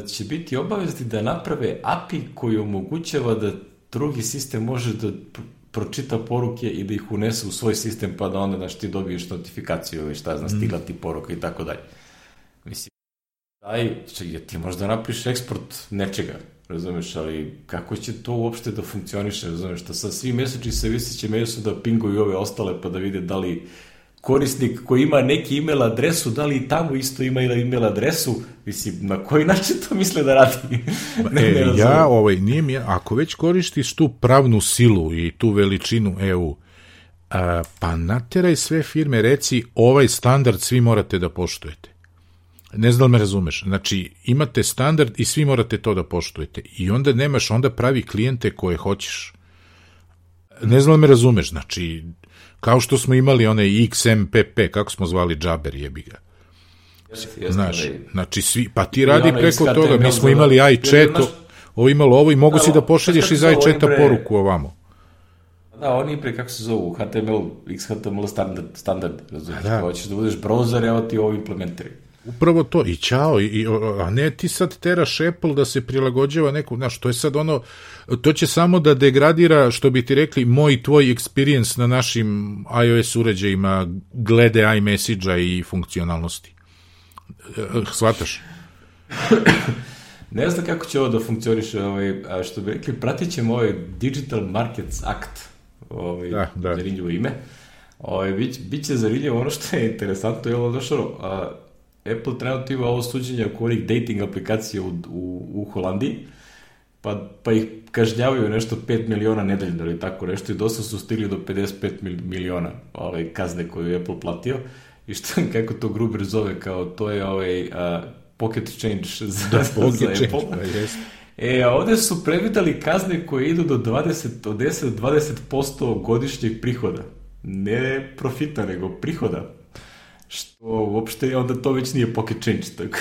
će biti obavezni da naprave API koji omogućava da drugi sistem može da pročita poruke i da ih unese u svoj sistem, pa da onda ti dobiješ notifikaciju ili šta znam, stigla ti poruka i tako dalje. Mislim, ti možda napiš eksport nečega, razumeš, ali kako će to uopšte da funkcioniše, razumeš, da sa svi message servisi će međusobno da pinguju ove ostale pa da vide da li korisnik koji ima neki email adresu, da li i tamo isto ima email adresu, mislim, na koji način to misle da radi? Ako već koristiš tu pravnu silu i tu veličinu EU, pa nateraj sve firme, reci ovaj standard svi morate da poštujete. Ne znam da me razumeš. Znači, imate standard i svi morate to da poštujete. I onda nemaš, onda pravi klijente koje hoćeš. Ne znam da me razumeš. Znači, kao što smo imali onaj XMPP, kako smo zvali džaber, jebi ga. Znaš, znači svi, pa ti radi preko toga, mi smo imali iChat, ovo imalo ovo i mogu si da pošalješ iz iChata poruku ovamo. Da, oni pre, kako se zovu, HTML, XHTML standard, razumiješ, hoćeš da budeš browser, evo ti ovo implementari. Upravo to, i čao, a ne ti sad teraš Apple da se prilagođava neku, znaš, to je sad to će samo da degradira, što bi ti rekli, moj i tvoj experience na našim iOS uređajima glede iMessage-a i funkcionalnosti. Shvataš? Ne znam kako će ovo da funkcioniše, što bi rekli, pratit ćemo ovaj Digital Markets Act, zanimljivo ime. Biće zanimljivo ono što je interesantno, je ono što Apple trenutno ima ovo suđenje oko onih dating aplikacija u Holandiji, pa ih kažnjavaju nešto 5 miliona nedeljno ili tako nešto i dosta su stigli do 55 miliona kazne koju je Apple platio i kako to Gruber zove, kao to je pocket change za Apple. A ovde su predvidali kazne koje idu od 10 do 20% godišnjeg prihoda. Ne profita, nego prihoda. Što uopšte onda to već nije pocket change. Tako.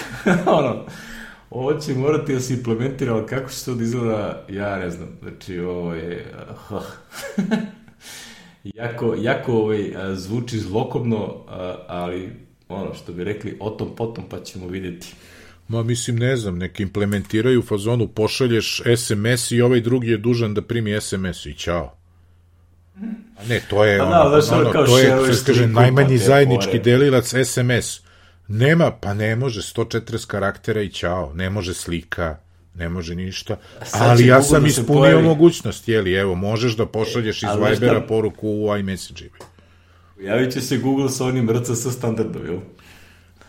Ovo će morati da se implementira, ali kako će to da izgleda, ja ne znam. Znači, ovo je... jako zvuči zlokobno, ali što bi rekli, o tom potom pa ćemo vidjeti. Ma mislim, ne znam, neki implementiraju u fazonu, pošalješ SMS i ovaj drugi je dužan da primi SMS i čao. A ne, to je to je najmanji zajednički delilac SMS. Nema, pa ne može 140 karaktera i čao, ne može slika, ne može ništa, ali ja sam ispunio mogućnost, evo, možeš da pošalješ iz Vibera poruku u iMessage. Javit će se Google sa onim RCS standardom, jel?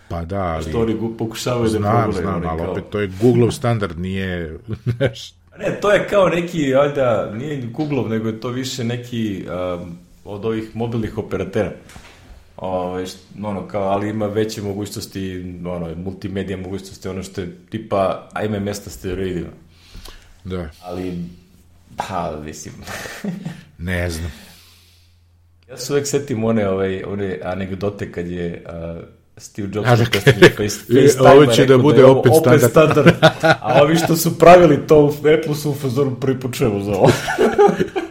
Pa da, ali... Što oni pokušavaju da pogledaju. Znam, ali opet to je Google standard, nije... Ne, to je kao neki, valjda, nije Google-ov, nego je to više neki od ovih mobilnih operatera. Ali ima veće mogućnosti, multimedija mogućnosti, ono što je tipa MMS na steroidima. Da. Ali, mislim... Ne znam. Ja se uvek setim one anegdote kad je Steve Jobs predstavio FaceTime. Ovo će da bude opet standard. A ovi što su pravili to u Apple su u fazoru prvi put čujemo za ovo.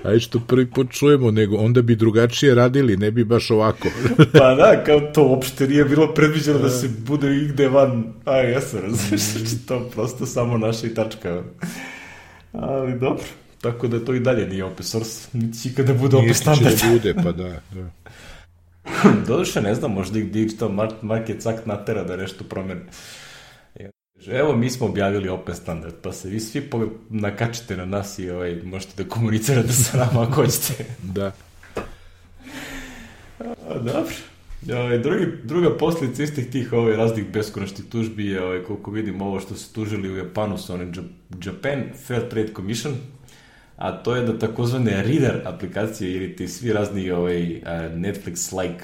Ajde što prvi put čujemo, nego onda bi drugačije radili, ne bi baš ovako. Pa da, kao to uopšte nije bilo predviđeno da se bude igde van iOS-a, različiti, to prosto samo naša i tačka. Ali dobro, tako da to i dalje nije open source, niti će ikada bude open standard. Niti će da bude, pa da. Doduše, ne znam, možda ih Digital Markets Act natera da nešto promeni. Evo, mi smo objavili open standard, pa se vi svi nakačite na nas i možete da komunicirate sa nama ako hoćete. Da. Dobro. Druga posljedica istih tih raznih beskonačnih tužbi je, koliko vidim, ovo što se tužili u Japanu sa onim Japan Fair Trade Commission, a to je da takozvane reader aplikacije ili ti svi razni Netflix-like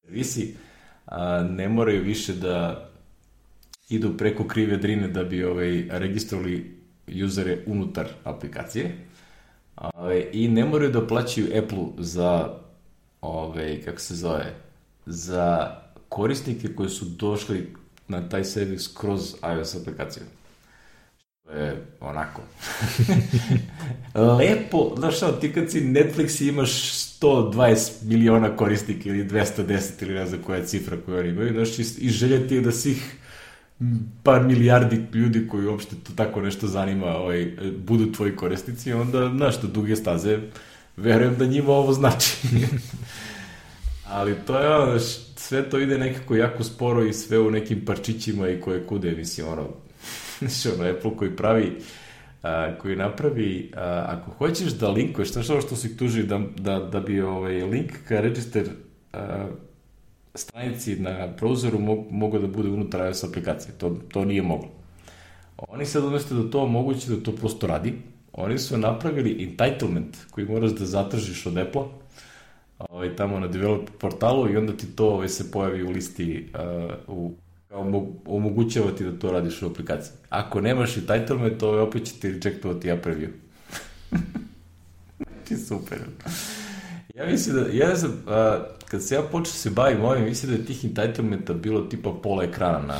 servisi ne moraju više da idu preko krive drine da bi registrovali usere unutar aplikacije i ne moraju da plaćaju Apple za za korisnike koji su došli na taj servis kroz iOS aplikaciju. To je onako. Lepo, znaš šta, ti kad si Netflix imaš 120 miliona korisnika ili 210 ili ne znam koja je cifra koju oni imaju, znaš, i želja ti je da svih par milijardi ljudi koji uopšte to tako nešto zanima budu tvoji korisnici, onda, znaš, do duge staze verujem da njima ovo znači. Ali to je sve to ide nekako jako sporo i sve u nekim parčićima i koje kude, mislim, Apple koji napravi, ako hoćeš da linkuješ, znaš ovo što su ih tužili, da bi link ka register stranici na browseru mogao da bude unutar iOS aplikacije. To nije moglo. Oni sad umjesto da to omogući da to prosto radi, oni su napravili entitlement koji moraš da zatražiš od Apple-a tamo na developer portalu i onda ti to se pojavi u listi omogućava ti da to radiš u aplikaciji. Ako nemaš entitlement, opet će ti rejectovati preview. Ti super. Ja mislim da, kad se ja počeo se bavim ovim, mislim da je tih entitlementa bilo tipa pola ekrana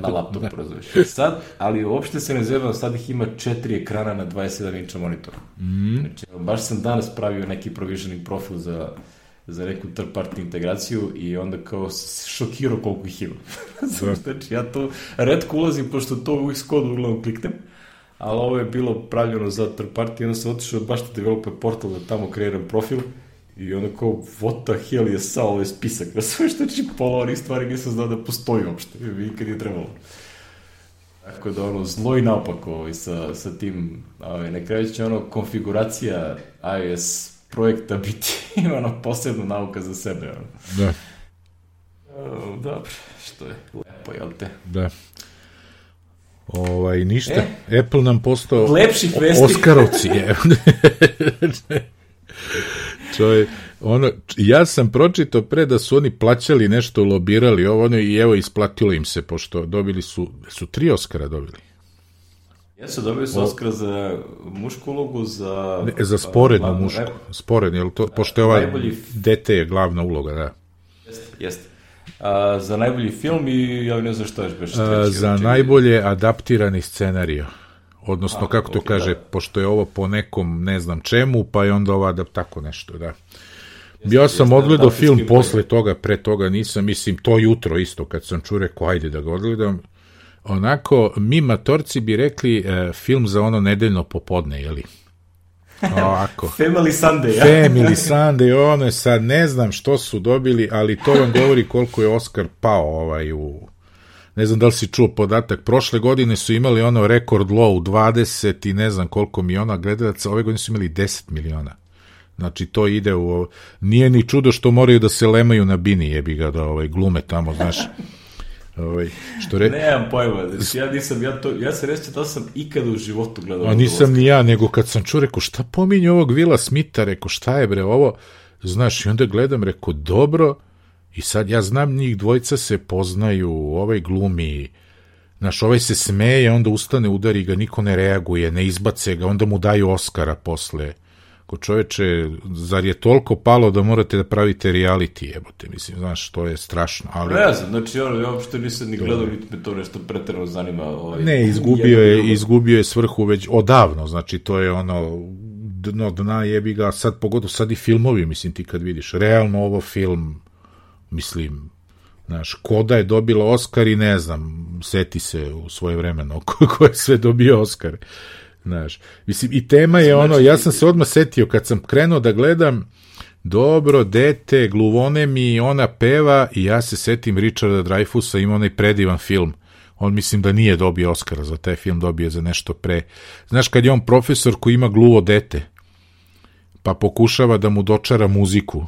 na laptopu, razumiješ. Sad, ali uopšte se ne zebam, sad ih ima 4 ekrana na 27 inča monitora. Znači, baš sam danas pravio neki provisioning profil za neku third party integraciju i onda kao šokirao koliko ih ima. Znači, ja to retko ulazim, pošto to u Xcode uglavnom kliknem, ali ovo je bilo pravljeno za third party, onda sam otišao baš na developer portal da tamo kreiram profil I onda kao, what the hell je sa ovaj spisak? Ja sam što znači pola onih stvari nisam znao da postoji uopšte. Nikad je trebalo. Tako da ono, zlo i naopako sa tim, na kraju će ono, konfiguracija iOS projekta biti ono, posebna nauka za sebe. Ono. Da. Dobro, što je lepo, jel te? Da. Ništa. Apple nam postao lepših vesti. Oskarovci. Ja sam pročitao pre da su oni plaćali nešto, lobirali i evo isplatilo im se, pošto dobili su 3 Oskara dobili. Jesu, dobili su Oskar za mušku ulogu, za sporednu mušku. Sporednu, jel to, pošto je dete je glavna uloga, da. Jeste. Za najbolji film i ja ne znam što je baš treći. Za najbolje adaptirani scenario. Odnosno, kako to kaže, pošto je ovo po nekom ne znam čemu, pa je onda ova tako nešto, da. Ja sam odgledao film posle toga, pre toga nisam, mislim, to jutro isto, kad sam čuo, rekao, ajde da ga odgledam. Onako, mi matorci bi rekli film za ono nedeljno popodne, jeli? Ovako. Family Sunday, ja? Family Sunday, ono je sad, ne znam što su dobili, ali to vam govori koliko je Oskar pao u... Ne znam da li si čuo podatak, prošle godine su imali ono rekord low 20 i ne znam koliko miliona gledalaca, ove godine su imali 10 miliona. Znači to ide u... Nije ni čudo što moraju da se lemaju na bini, jebi ga da glume tamo, znaš. Nemam pojma, ja se reći da sam ikada u životu gledao. A nisam ni ja, nego kad sam čuo, rekao, šta pominje ovog Willa Smitha, rekao, šta je bre ovo, znaš, i onda gledam, rekao, dobro, i sad ja znam njih dvojica se poznaju, ovaj glumi, znaš, ovaj se smeje, onda ustane, udari ga, niko ne reaguje, ne izbace ga, onda mu daju Oskara posle. Ko čoveče, zar je toliko palo da morate da pravite reality, jebote, mislim, znaš, to je strašno, ali... Ne znam, znači, ja uopšte nisam ni gledao, niti me to nešto preterano zanima. Ne, izgubio je svrhu već odavno, znači, to je ono, dna jebi ga, sad pogotovo, sad i filmovi, mislim, ti kad vidiš, realno ovo film, mislim, znaš, Koda je dobila Oskar i ne znam, seti se u svoje vremeno ko je sve dobio Oskar. Znaš, mislim, i tema je ono, ja sam se odmah setio kad sam krenuo da gledam dobro, dete, gluvone mi, ona peva i ja se setim Richarda Dreyfusa, ima onaj predivan film. On mislim da nije dobio Oskara za taj film, dobio za nešto pre. Znaš, kad je on profesor koji ima gluvo dete, pa pokušava da mu dočara muziku.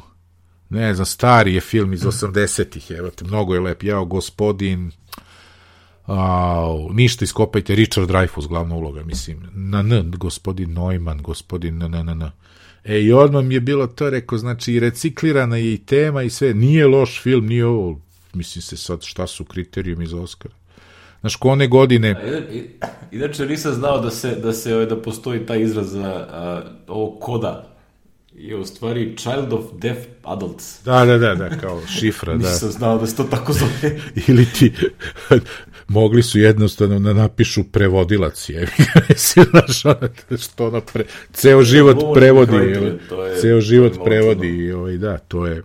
Ne znam, stari je film iz 80-ih, evo te, mnogo je lep. Jao, gospodin... ništa iskopajte, Richard Dreyfuss glavna uloga, mislim, gospodin Neumann, gospodin i odmah mi je bilo to, rekao, znači i reciklirana je i tema i sve, nije loš film, nije ovo, mislim se sad šta su kriterijumi za Oscara. Znaš, ko one godine... Inače nisam znao da postoji taj izraz za ovo Koda, je u stvari Child of Deaf Adults. Da, kao šifra, da. Nisam znao da se to tako zove. Ili ti, mogli su jednostavno da napišu prevodilac, znaš, što ono, ceo život prevodi, da, to je,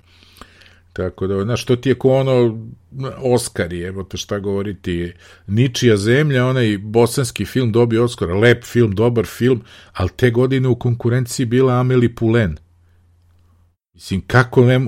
tako da, znaš, to ti je ko ono, Oskari, evo te šta govoriti, Ničija zemlja, onaj bosanski film dobio Oskara, lep film, dobar film, ali te godine u konkurenciji bila Amélie Poulain. Mislim,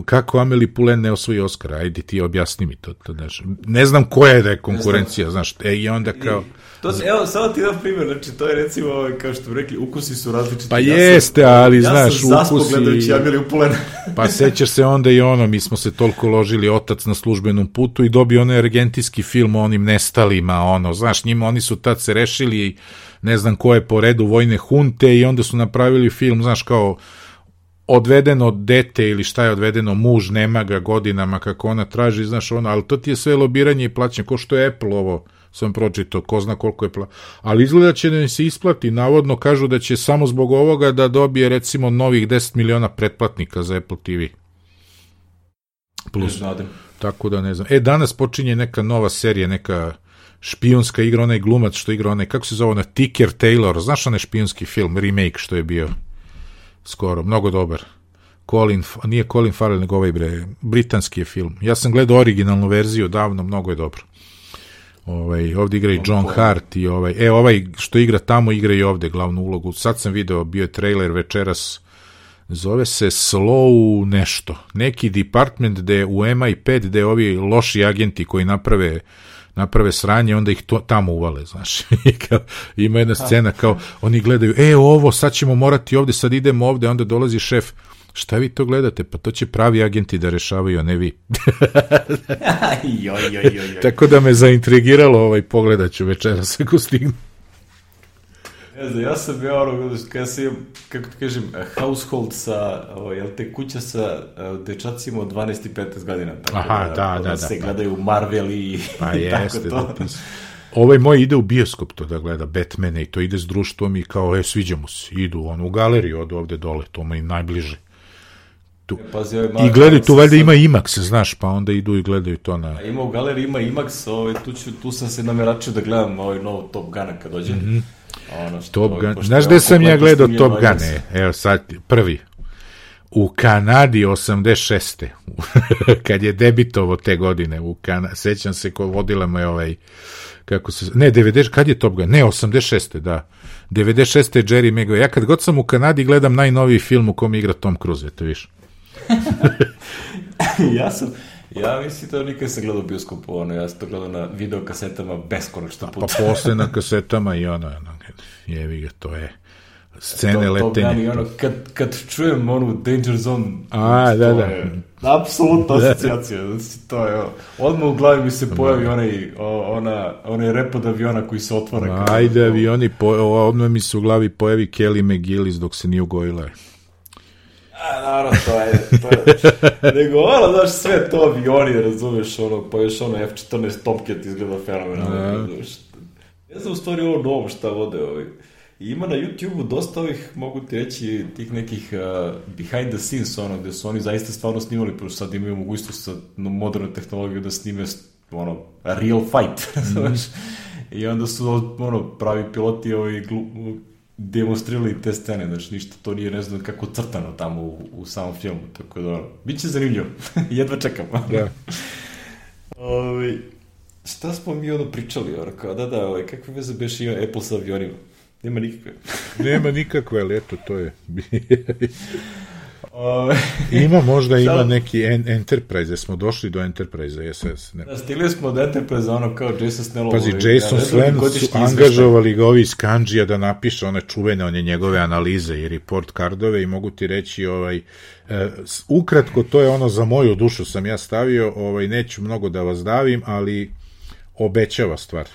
kako Amélie Poulain ne osvoji Oskara? Ajde ti objasni mi to. Znaš. Ne znam koja je da je konkurencija, znaš, i onda kao... Evo, samo ti dam primjer, znači, to je recimo, kao što bi rekli, ukusi su različiti. Pa jeste, ali, znaš, ukusi... Ja sam zaspo gledajući Amélie Poulain. Pa sećaš se onda i ono, mi smo se toliko ložili Otac na službenom putu i dobio onaj argentinski film o onim nestalima, ono, znaš, njima, oni su tad se rešili, ne znam ko je po redu vojne hunte i onda su napravili film, znaš, kao odvedeno dete ili šta je odvedeno, muž, nema ga godinama kako ona traži, znaš, ono, ali to ti je sve lobiranje i plaćanje, ko što je Apple ovo, sam pročitao, ko zna koliko je ali izgleda će da im se isplati, navodno kažu da će samo zbog ovoga da dobije recimo novih 10 miliona pretplatnika za Apple TV. Plus, tako da ne znam. Danas počinje neka nova serija, neka špijunska igra, onaj glumac što igra, onaj, kako se zove, ona Ticker Taylor, znaš onaj špijunski film, remake što je bio skoro, mnogo dobar. Nije Colin Farrell, nego ovaj britanski je film. Ja sam gledao originalnu verziju davno, mnogo je dobro. Ovdje igra i John Hart i ovaj što igra tamo, igra i ovdje glavnu ulogu. Sad sam video, bio je trailer večeras zove se Slow nešto, neki department gde u MI5 gde ovi loši agenti koji naprave sranje, onda ih tamo uvale, znaš. Ima jedna scena kao, oni gledaju, ovo, sad ćemo morati ovde, sad idemo ovde, onda dolazi šef, šta vi to gledate? Pa to će pravi agenti da rešavaju, a ne vi. Tako da me zaintrigiralo, pogledat ću večeras ako stignu. Ne znam, ja sam kada sam imam, kako ti kažem, household sa, kuća sa dečacima od 12 i 15 godina. Tako da se gledaju Marvel i tako to. Ovaj moj ide u bioskop to da gleda Batmane i to ide s društvom i kao, sviđa mu se, idu u galeriju od ovde dole, to mu je najbliže. I gledaju, tu valjda ima IMAX, znaš, pa onda idu i gledaju to na... Ima u galeriji, ima IMAX, tu sam se nameračio da gledam novo Top Guna kad dođe. Top Gun, znaš gde sam ja gledao Top Gun? Evo sad, prvi. U Kanadi 86. kad je debitovo te godine, sećam se ko vodila me ne, 90, kad je Top Gun? Ne, 86. da. 96. je Jerry Maguire. Ja kad god sam u Kanadi gledam najnoviji film u kom igra Tom Cruise, to viš. Ja mislim da nikad sam gledao bioskopu, ja sam to gledao na videokasetama beskonačno puta. Pa posle na kasetama i jevi ga, to je scene letenje. Kad čujem Danger Zone, da. Je apsolutna asocijacija. To je, odmah u glavi mi se pojavi onaj rep od aviona koji se otvara. Ajde, avioni, odmah mi se u glavi pojavi Kelly McGillis dok se nije ugojila. Naravno, to je. Nego, znaš, sve to avioni, razumeš, pa još F-14 Tomcat izgleda fenomenalno, razumeš. Ne znam u stvari novo šta vode Ima na YouTube-u dosta mogu ti reći, tih nekih behind the scenes, gde su oni zaista stvarno snimali, pošto sad imaju mogućnost sa moderne tehnologije da snime, real fight, znaš. I onda su, pravi piloti demonstrirali te scene, znači ništa, to nije ne znam kako crtano tamo u samom filmu, tako da, bit će zanimljivo, jedva čekam. Šta smo mi pričali, kakve veze beše ima Apple sa avionima? Nema nikakve. Nema nikakve, ali eto, to je. Ima neki Enterprise, smo došli do Enterprise, SS. Stigli smo od Enterprise, kao Jason Snell. Pazi, Jason Snell su angažovali ga ovi iz Kanđija da napiše one čuvene, njegove analize i report cardove i mogu ti reći, ukratko, to je za moju dušu sam ja stavio, neću mnogo da vas davim, ali obećava stvar.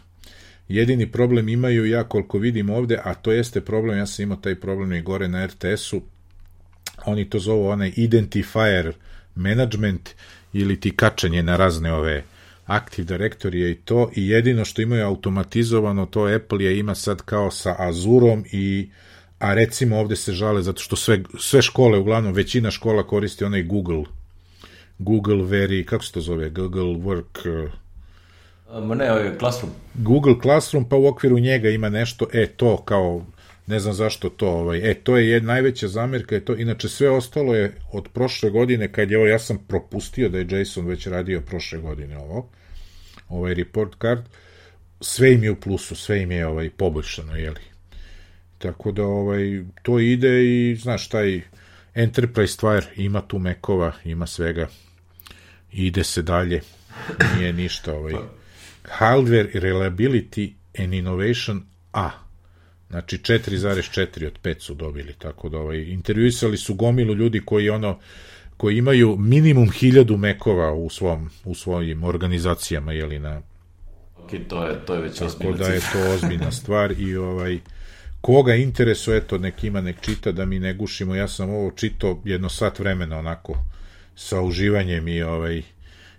Jedini problem imaju, ja koliko vidim ovde, a to jeste problem, ja sam imao taj problem i gore na RTS-u, oni to zovu identifier management ili ti kačenje na razne Active Directory i to, i jedino što imaju automatizovano, to Apple ima sad kao sa Azurom a recimo ovde se žale zato što sve škole, uglavnom većina škola koristi onaj Google kako se to zove, Google Work... Classroom. Google Classroom, pa u okviru njega ima nešto, to kao, ne znam zašto to, to je najveća zamjerka, inače sve ostalo je od prošle godine, kad je ja sam propustio da je Jason već radio prošle godine ovaj report card, sve im je u plusu, sve im je poboljšano, jeli. Tako da to ide i, znaš, taj Enterprise stvar, ima tu Mekova, ima svega, ide se dalje, nije ništa, Hardware Reliability and Innovation A. Znači 4,4 od 5 su dobili, tako da intervjuisali su gomilu ljudi koji imaju minimum 1000 Mekova u svojim organizacijama, jeli na... To je već ozbiljna. Tako da je to ozbiljna stvar i koga interesuje, nek ima, nek čita, da mi ne gušimo. Ja sam ovo čitao jedno sat vremena onako sa uživanjem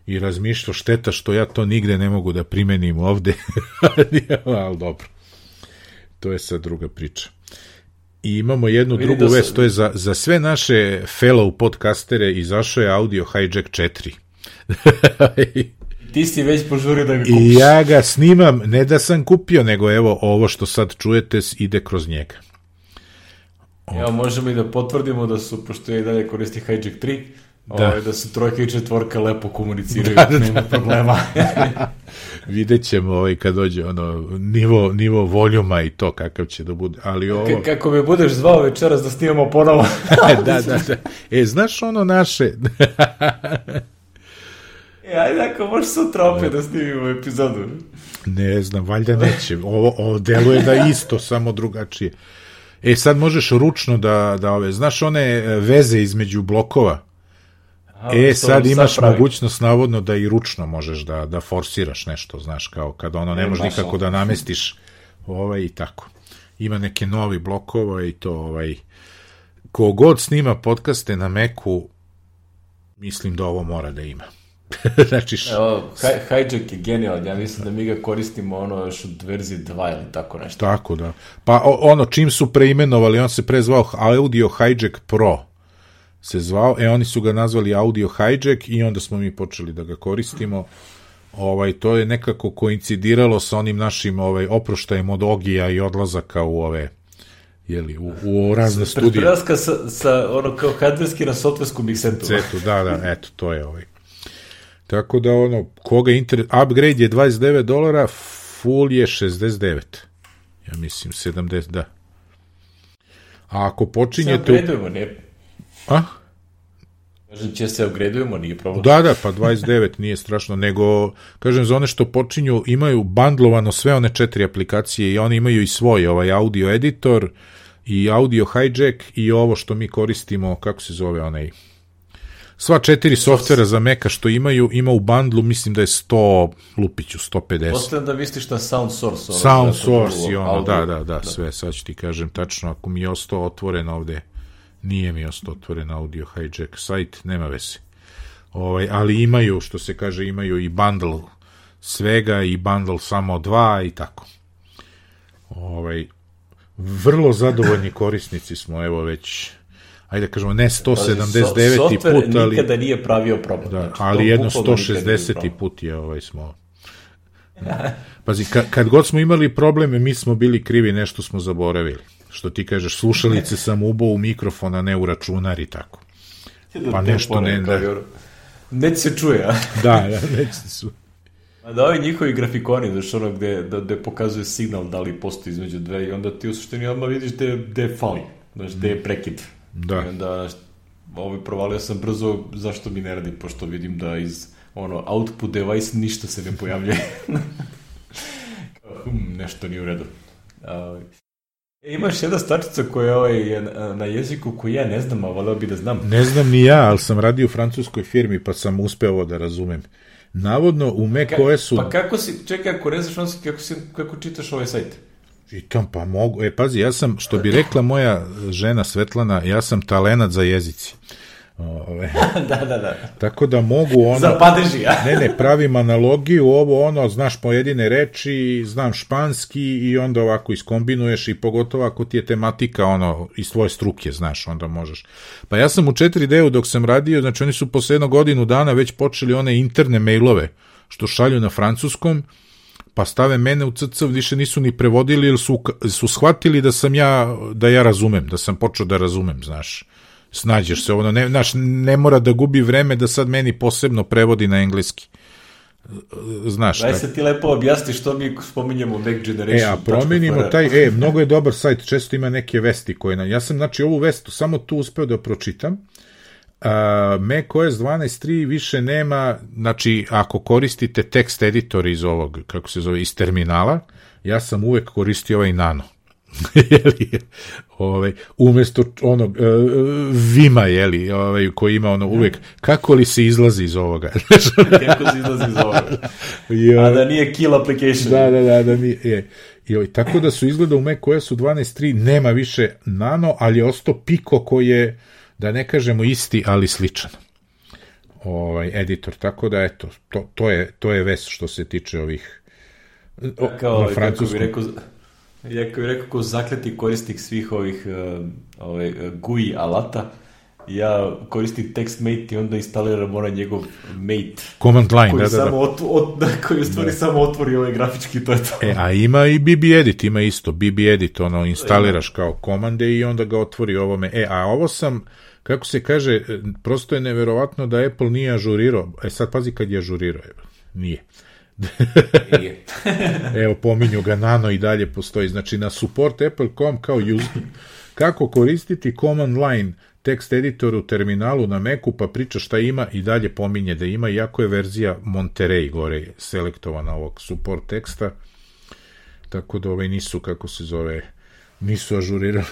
i razmišljao, šteta što ja to nigde ne mogu da primenim ovde, ali dobro, to je sad druga priča. I imamo jednu drugu vest, to je za sve naše fellow podcastere izašao je Audio Hijack 4. Ti si već požurio da ga kupiš. I ja ga snimam, ne da sam kupio, nego evo ovo što sad čujete ide kroz njega. Evo, možemo i da potvrdimo da su, pošto ja i dalje koristi Hijack 3, da su trojka i četvorka lepo komuniciraju, nema problema. Vidjet ćemo kad dođe nivo voljuma i to kakav će da bude, ali ovo... Kako me budeš zvao večeras da snimamo ponovo. Da. Znaš ono naše... Ajde, ako možeš sutra opet da snimimo epizodu. Ne znam, valjda neće. Ovo deluje da isto, samo drugačije. Sad možeš ručno da znaš one veze između blokova? Sad imaš mogućnost navodno da i ručno možeš da forsiraš nešto, znaš, kao kada ne možeš nikako da namestiš i tako. Ima neke novi blokova i to kogod snima podcaste na Macu, mislim da ovo mora da ima. Znači... Hijack je genijalan, ja mislim da mi ga koristimo još od verzije 2 ili tako nešto. Tako da. Pa čim su preimenovali, on se pre zvao Audio Hijack Pro se zvao, oni su ga nazvali Audio Hijack i onda smo mi počeli da ga koristimo. To je nekako koincidiralo sa onim našim oproštajem od Ogija i odlazaka u u razne studije. Prelaska sa kao hardverski na softversku miksetu. Da, eto, to je Tako da koga upgrade je $29, full je 69. Ja mislim 70, da. A ako počinjete... Se upgradeujemo, nije... Kažem, će se upgradeujemo, nije problem. Da, pa 29 nije strašno, nego, kažem, za one što počinju, imaju bandlovano sve one 4 aplikacije i oni imaju i svoj audio editor i audio hijack i ovo što mi koristimo, kako se zove sva 4 softvera za Maca što ima u bundlu, mislim da je 150. Ostavljam da misliš na Sound Source. Sound Source i da, sve, sad ću ti kažem tačno, ako mi je ostao otvoren ovde, nije mi ostao otvoren audio hijack sajt, nema veze. Ali imaju, što se kaže, imaju i bundle svega i bundle samo 2 i tako. Vrlo zadovoljni korisnici smo, evo već... Ajde kažemo, ne 179. put, ali... nikada nije pravio problem. Da, ali jedno 160. put je smo... Pazi, kad god smo imali probleme, mi smo bili krivi, nešto smo zaboravili. Što ti kažeš, slušalice sam ubao u mikrofon, a ne u računar i tako. Pa nešto ne... Neće se čuje, a? Da, neće se čuje. A da ovi njihovi grafikoni, znaš gde pokazuje signal da li postoji između dve i onda ti u suštini odmah vidiš gde fali, znaš, gde je prekid. Da. I onda provalio sam brzo zašto mi ne radi, pošto vidim da iz output device ništa se ne pojavljuje. Nešto nije u redu. Imaš jedna stvarčica koja je na jeziku koji ja ne znam, a voleo bi da znam. Ne znam ni ja, ali sam radio u francuskoj firmi pa sam uspeo da razumem. Navodno u macOS-u... Pa kako si, čekaj, ako ne znaš francuski, kako čitaš ovaj sajt? Čitam, pa mogu. Pazi, ja sam, što bi rekla moja žena Svetlana, ja sam talenat za jezici. Da. Tako da mogu za padeži, ja? Ne, pravim analogiju, znaš pojedine reči, znam španski i onda ovako iskombinuješ i pogotovo ako ti je tematika iz tvoje struke, znaš, onda možeš. Pa ja sam u 4D-u dok sam radio, znači oni su posle 1 godinu dana već počeli one interne mailove što šalju na francuskom, pa stave mene u CC, više nisu ni prevodili, jer su shvatili da ja razumem, da sam počeo da razumem, znaš. Snađeš se, ne mora da gubi vreme da sad meni posebno prevodi na engleski. Znaš. Daj se ti lepo objasni što mi spominjemo Mac Generation. A promenimo taj, mnogo je dobar sajt, često ima neke vesti koje ja sam, znači, ovu vestu samo tu uspeo da pročitam. macOS 12.3 više nema, znači, ako koristite tekst editor iz ovog, kako se zove, iz terminala, ja sam uvek koristio ovaj Nano. Umesto onog Vima, koji ima uvek, kako li se izlazi iz ovoga? Kako se izlazi iz ovoga? A da nije kill application. Da nije. Tako da su izgleda u macOS-u 12.3 nema više Nano, ali je ostao Pico koji je, da ne kažemo isti, ali sličan editor. Tako da, eto, to je vest što se tiče ovih na francuskom. Jako bih rekao, ko zakleti korisnik svih ovih GUI alata, ja koristim TextMate i onda instaliram njegov mate. Command line, koji u stvari samo otvori ovaj grafički, to je to. A ima i BB Edit, ima isto. BB Edit, instaliraš kao komande i onda ga otvori ovome. A ovo sam kako se kaže, prosto je neverovatno da Apple nije ažurirao. Sad pazi kad je ažurirao. Nije. Evo, pominju ga, Nano i dalje postoji. Znači, na support Apple.com kao kako koristiti command line tekst editor u terminalu na Macu, pa priča šta ima i dalje pominje da ima, iako je verzija Monterey gore selektovana ovog support teksta, tako da nisu, kako se zove, nisu ažurirali.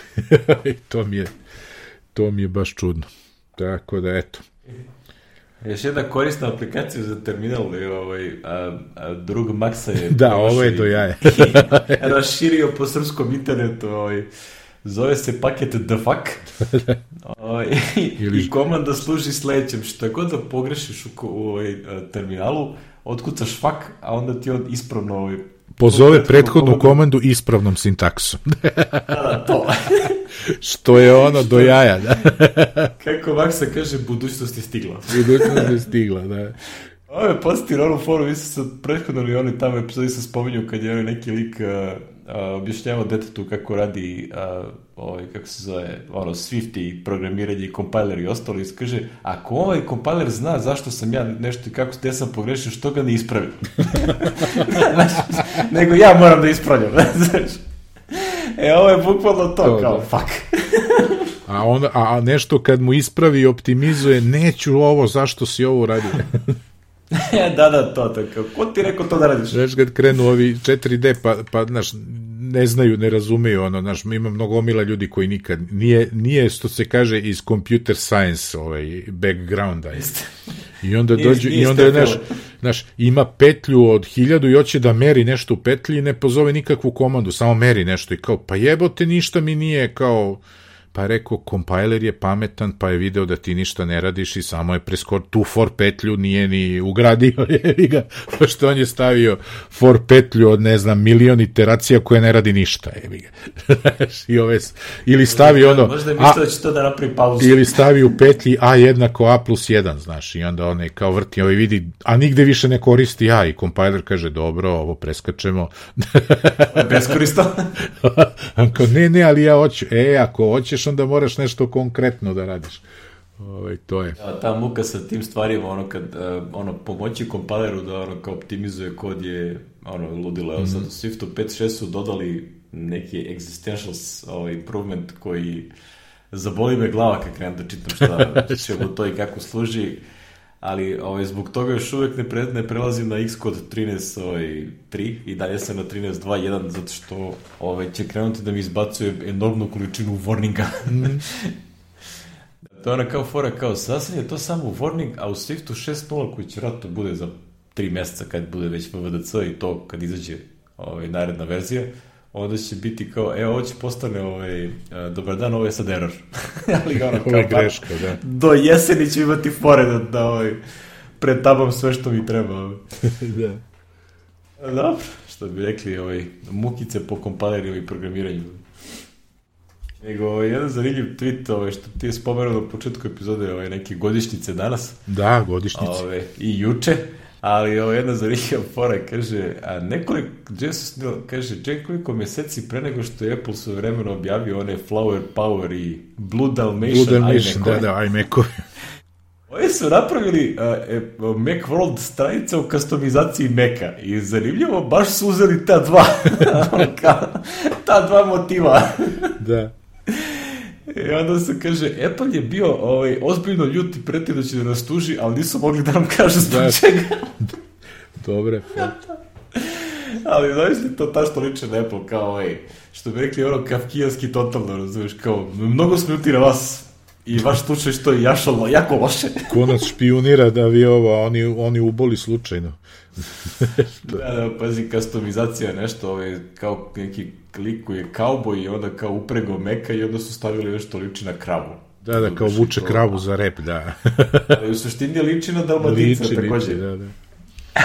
to mi je baš čudno. Tako da, eto. Još jedna korisna aplikacija za terminal, drug Maxa je... Da, ovo je do jaja. Raširio po srpskom internetu, zove se paket the fuck. I komanda služi sledećem. Šta god da pogrešiš u terminalu, otkucaš fuck, a onda ti on ispravno... Pozove prethodnu komandu ispravnom sintaksom. Da, to. Što je ono do jaja, da. Kako Maksa kaže, budućnost je stigla. Budućnost je stigla, da. Ovo je podsjetio na onu foru, vi ste prethodno i oni tamo epizodi se spominju kad je neki lik objašnjavao detetu kako radi kako se zove, Swift i programiranje i kompiler i ostalo, i kaže, ako ovaj kompiler zna zašto sam ja nešto i kako gde sam pogrešio, što ga ne ispravi? Nego ja moram da ispravljam, znaš. Ovo je bukvalno to, kao, fuck. A nešto kad mu ispravi i optimizuje, neću ovo, zašto si ovo radio? Da, to, tako. Ko ti rekao to da radiš? Znaš, kad krenu ovi 4D, pa, znaš, ne znaju, ne razumeju, znaš, ima mnogo omila ljudi koji nikad, nije, što se kaže, iz computer science, backgrounda. I onda dođu, i onda je, znaš, ima petlju od 1000 i hoće da meri nešto u petlji i ne pozove nikakvu komandu, samo meri nešto i kao, pa jebote, ništa mi nije, kao... Pa je rekao, kompiler je pametan, pa je video da ti ništa ne radiš i samo je tu for petlju nije ni ugradio, pošto on je stavio for petlju od, ne znam, milion iteracija koje ne radi ništa, ili stavi možda je mislio da će to da napravi pauzu. Ili stavi u petlji A jednako A plus 1, znaš, i onda on je kao vrti, vidi, a nigde više ne koristi A, i kompiler kaže, dobro, ovo preskačemo. Beskorisno. Ne, ali ja hoću, ako hoćeš, onda moraš nešto konkretno da radiš. To je. Ta muka sa tim stvarima, kad pomoći kompileru da kao optimizuje kod je ludilo. Evo sad u Swiftu 5.6 su dodali neki existentials improvement koji zaboli me glava kad krenem da čitam šta čemu to i kako služi, ali zbog toga još uvek ne prelazim na Xcode 13.3 i dalje sam na 13.2.1 zato što će krenuti da mi izbacuje enormnu količinu warninga. To je ona kao fora, kao sasvim je to samo warning, a u Swiftu 6.0 koji će vratno bude za 3 meseca kad bude već VVDC i to kad izađe naredna verzija, onda će biti kao, ovo će postane dobar dan, ovo je sad error. Ali ovo je greška, da. Do jeseni ću imati fore da pretabam sve što mi treba. Da. Dobro, što bi rekli, mukice po kompileru i programiranju. Nego, jedan zanimljiv tweet, što ti je spomenuo na početku epizode, neke godišnjice danas. Da, godišnjice. I juče. Ali jedna zanimljiva fora kaže, nekoliko meseci pre nego što je Apple svojevremeno objavio one Flower Power i Blue Dalmatian iMac-ovi. Oni su napravili Macworld stranica u customizaciji Maca i zanimljivo, baš su uzeli ta dva motiva. Da. I onda se kaže, Apple je bio ozbiljno ljut i pretio da će da nas tuži, ali nisu mogli da nam kažu zbog čega. Dobre. Ali znaš li to ta što liče na Apple, kao što bi rekli kafkijanski totalno, razumiješ, kao mnogo smo ljuti na vas i vaš slučaj što je jako loše. Ko nas špionira da vi oni uboli slučajno. Da, pazi, customizacija je nešto, kao neki klik koji je kauboj i onda kao uprego Meka i onda su stavili nešto liči na kravu. Da, kao vuče kravu za rep, da. Ali u suštini liči na Dalmatinca takođe. Da.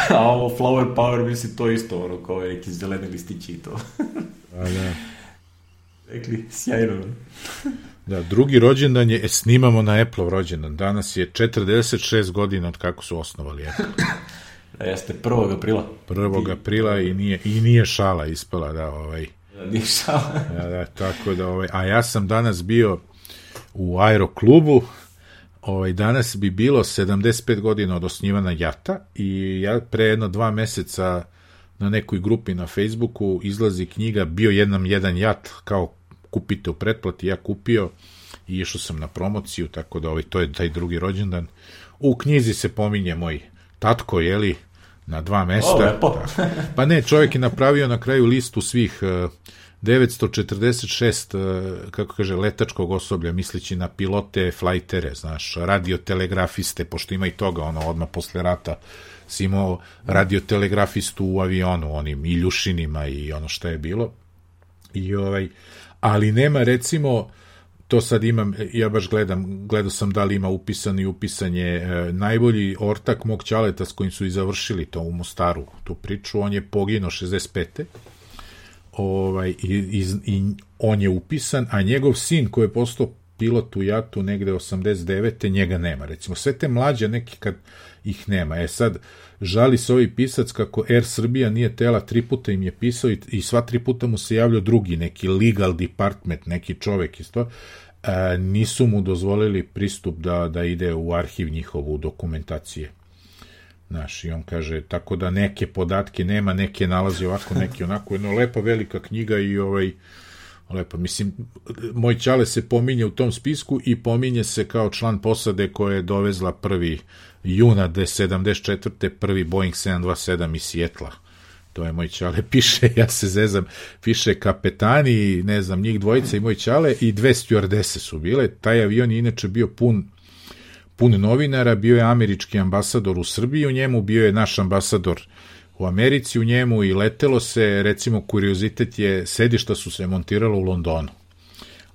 A ovo Flower Power misli to isto, kao neki zeleni listići i to. Da. Rekli, sjajno. Da, drugi rođendan je, snimamo na Apple rođendan. Danas je 46 godina od kako su osnovali Apple. Jeste, 1. aprila. 1. aprila i nije šala ispala, da, Nije šala. Da, tako da, a ja sam danas bio, u aeroklubu. Danas bi bilo 75 godina od osnivanja JAT-a i ja pre jedno 2 meseca na nekoj grupi na Facebooku izlazi knjiga Bio jedan JAT, kao kupite u pretplati, ja kupio i išao sam na promociju, tako da to je taj drugi rođendan. U knjizi se pominje moj tatko, jeli, na 2 mesta. Pa ne, čovjek je napravio na kraju listu svih 946, kako kaže, letačkog osoblja, misleći na pilote, flajtere, znaš, radiotelegrafiste, pošto ima i toga, odmah posle rata si imao radiotelegrafistu u avionu, onim Iljušinima i ono što je bilo. Ali nema, recimo, to sad imam, ja baš gledao sam da li ima upisanje, najbolji ortak mog ćaleta s kojim su i završili to u Mostaru, tu priču, on je poginuo 65. I on je upisan, a njegov sin koji je postao pilot u JAT-u negde 89. njega nema. Recimo, sve te mlađe neki kad ih nema. Sad, žali se ovaj pisac kako Air Srbija nije tela, 3 puta im je pisao i sva 3 puta mu se javljao drugi, neki legal department, neki čovek isto, nisu mu dozvolili pristup da ide u arhiv njihovu dokumentacije. Znaš, i on kaže, tako da neke podatke nema, neke nalazi ovako, neke onako, jedna lepa velika knjiga i lepa, mislim, moj ćale se pominje u tom spisku i pominje se kao član posade koja je dovezla 1. juna 1974. prvi Boeing 727 iz Sijetla. To je moj ćale, piše, ja se zezam, piše kapetani, ne znam, njih dvojica i moj ćale i 2 stjuardese su bile. Taj avion je inače bio pun novinara, bio je američki ambasador u Srbiji u njemu, bio je naš ambasador u Americi u njemu i letelo se, recimo, kuriozitet je, sedišta su se montiralo u Londonu,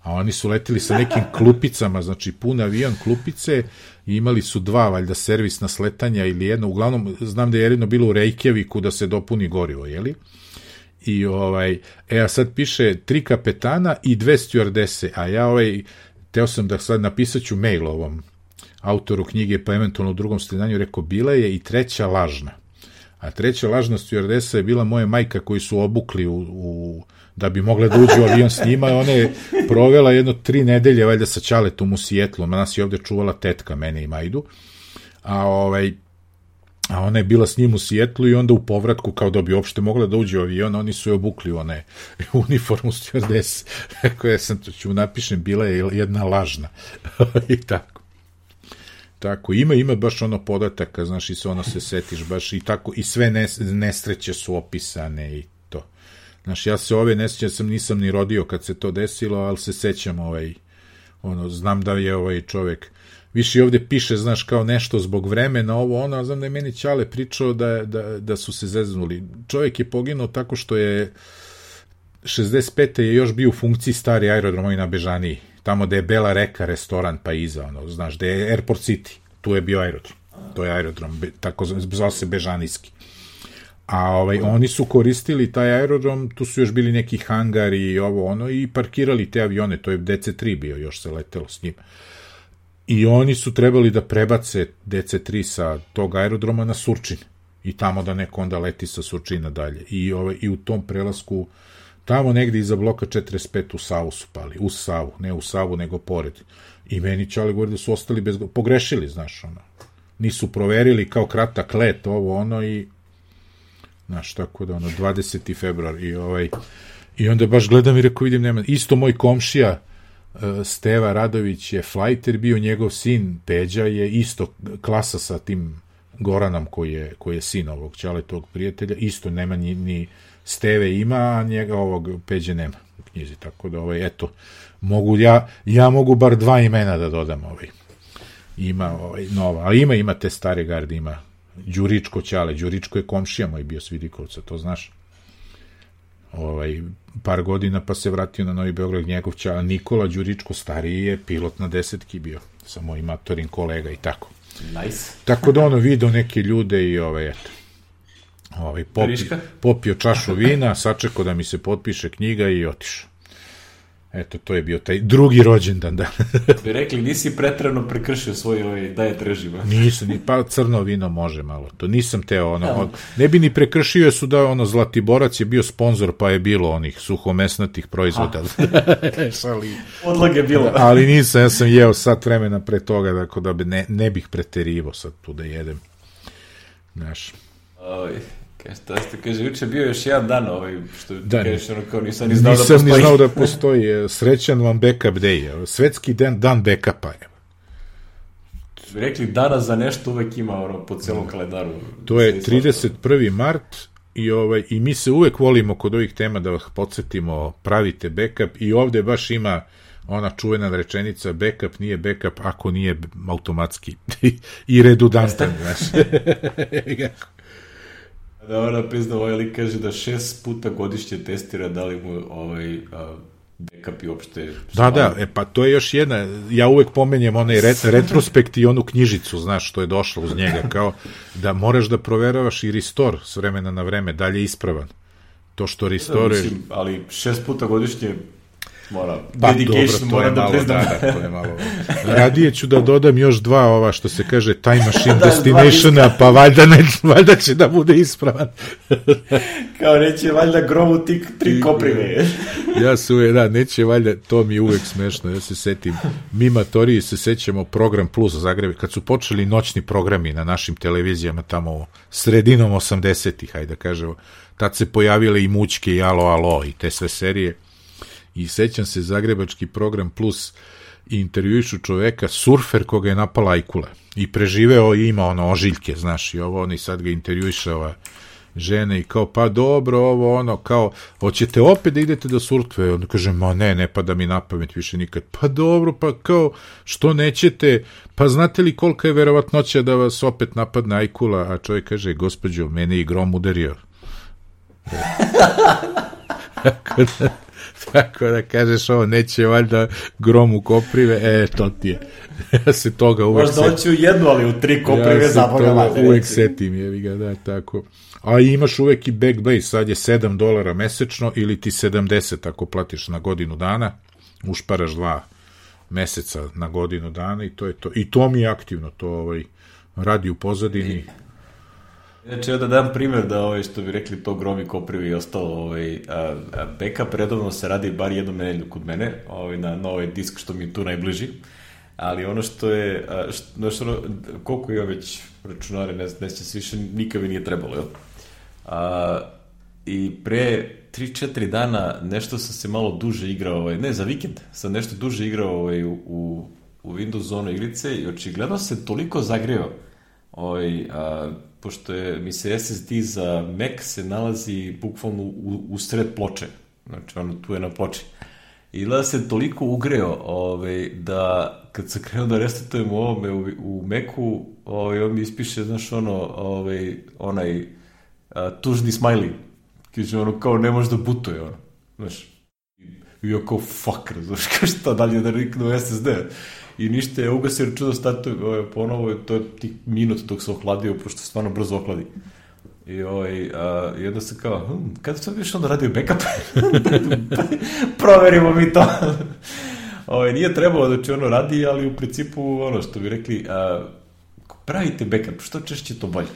a oni su leteli sa nekim klupicama, znači pun avion, klupice, i imali su 2, valjda, servisna sletanja ili jedno, uglavnom, znam da je jedno bilo u Reykjaviku da se dopuni gorivo, jeli? I a sad piše 3 kapetana i 2 stjuardese, a ja teo sam da sad napisaću mail ovom autoru knjige, pa eventualno u drugom slidanju, rekao, bila je i 3. lažna. A 3. lažna stjuardesa je bila moja majka koju su obukli da bi mogla da uđe u avion s njima, ona je provela 3 nedelje valjda sa ćaletom u Sijetlu, nas je ovde čuvala tetka, mene i Majdu, a ona je bila s njim u Sijetlu i onda u povratku, kao da bi uopšte mogla da uđe u avion, oni su je obukli u uniformu stjuardesa. Rekao, ja sam to ću napišem, bila je jedna lažna. I tako, ima baš podataka, znaš, i se se setiš baš i tako, i sve nesreće su opisane i to. Znaš, ja se ove nesreće nisam ni rodio kad se to desilo, ali se sećam znam da je čovek, više ovde piše, znaš, kao nešto zbog vremena, a znam da je meni ćale pričao da su se zeznuli. Čovek je poginuo tako što je 65. je još bio u funkciji stari aerodrom na Bežaniji, tamo da je Bela Reka restoran pa iza, znaš, da je Airport City, tu je bio aerodrom, to je aerodrom, tako zvao se Bežanijski. A oni su koristili taj aerodrom, tu su još bili neki hangari i i parkirali te avione, to je DC-3 bio, još se letelo s njim. I oni su trebali da prebace DC-3 sa tog aerodroma na Surčin i tamo da neko onda leti sa Surčina dalje. I u tom prelasku tamo negde iza bloka 45 u Savu su pali, u Savu, ne u Savu, nego pored. I meni ćale govori da su ostali pogrešili, znaš, nisu proverili kao kratak let, i, znaš, tako da, 20. februar, i onda baš gledam i rekao, vidim, nema, isto moj komšija, Steva Radović je flajter bio, njegov sin Peđa je isto klasa sa tim Goranom koji je sin ovog ćale, tog prijatelja, isto nema ni Steve ima, a njega ovog Peđe nema u knjizi, tako da eto, mogu ja mogu bar 2 imena da dodam ima nova, ali ima te stare garde, ima Đuričko ćale, Đuričko je komšija moj bio s Vidikovca, to znaš, par godina pa se vratio na Novi Beograd, njegov ćale Nikola Đuričko stariji je pilot na 10 bio, sa mojim matorim kolega i tako. Nice. Tako da video neke ljude i eto. Popio čašu vina, sačekao da mi se potpiše knjiga i otišao. Eto, to je bio taj drugi rođendan, da. Bi rekli, nisi pretrano prekršio svoj diet režim. Nisam, pa crno vino može malo. To nisam teo, ne bi ni prekršio su da Zlatiborac je bio sponsor, pa je bilo onih suhomesnatih proizvoda. Odlog je bilo. Ali nisam, ja sam jeo sat vremena pre toga, tako da ne bih preterivo sad tu da jedem. Znaš. Šta ste, kaže, juče bio još jedan dan što kažeš, kao nisam ni znao da postoji. Srećan vam backup day, svetski dan backupa je. Rekli, dana za nešto uvek ima po celom kalendaru. To je 31. mart i mi se uvek volimo kod ovih tema da vas podsjetimo, pravite backup i ovde baš ima ona čuvena rečenica, backup nije backup ako nije automatski i redundantan, znaš. Da, ona prizna, lik kaže da 6 puta godišnje testira da li mu backup i uopšte... Da, pa to je još jedna, ja uvek pomenjem onaj retrospekt i onu knjižicu, znaš, što je došlo uz njega, kao da moraš da proveravaš i restore s vremena na vreme, dalje ispravan. To što restore... Ali 6 puta godišnje mora, dedication mora da priznam. Da, to je malo. Radije ću da dodam još 2 što se kaže time machine destinationa, pa valjda će da bude ispravan. Kao neće valjda gromu 3 koprive. Ja se uvek, neće valjda, to mi je uvek smešno, ja se setim, mi matoriji se sećamo Program Plus Zagreb, kad su počeli noćni programi na našim televizijama tamo sredinom 80-ih, hajde da kažemo, tad se pojavile i Mućke i Alo i te sve serije. I sećam se Zagrebački Program Plus intervjuišu čoveka, surfer koga je napala ajkula i preživeo i ima ožiljke, znaš, i oni sad ga intervjuiše ova žena i kao, pa dobro, kao, hoćete opet da idete da surfe? On kaže, ma ne pada mi na pamet više nikad. Pa dobro, pa kao, što nećete? Pa znate li kolika je verovatnoća da vas opet napadne ajkula? A čovjek kaže, gospođo, mene i grom udario. Tako da kažeš neće valjda grom u koprive, to ti je. Ja se toga uvek setim. Možda hoću jednu, ali u 3 koprive zaboga. Ja se toga uvek setim, da, tako. A imaš uvek i Backblaze, sad je $7 mesečno ili ti 70 ako platiš na godinu dana, ušparaš 2 meseca na godinu dana i to je to. I to mi je aktivno, to radi u pozadini. Znači, da dam primjer da, što bi rekli, to gromi koprivi i ostalo, backup redovno se radi bar jednom nedelju kod mene, na ovaj disk što mi je tu najbliži, ali ono što je, koliko je već računare, ne se se više, nikad mi nije trebalo, jel? I pre 3-4 dana nešto sam se malo duže igrao, ne, za vikend sam nešto duže igrao u Windows Zone igrice i očigledno se toliko zagreo, pošto mi se SSD za Mac se nalazi bukvalno u sred ploče, znači tu je na ploči. I gleda se toliko ugreo da kad sam krenuo da restartujem ovome u Macu, on mi ispiše, znaš, onaj tužni smiley, kaže kao ne može da butuje, znaš. I ja kao fuck, znaš, kao šta dalje da riknu SSD. I ništa, je ugasio račun da startuje ponovo, to je tih minut dok se ohladio, pošto se stvarno brzo ohladi. I onda se kao, kada sam više onda radio backup? Proverimo mi to. Nije trebalo da će radi, ali u principu, što bi rekli, pravite backup, što češće to bolje.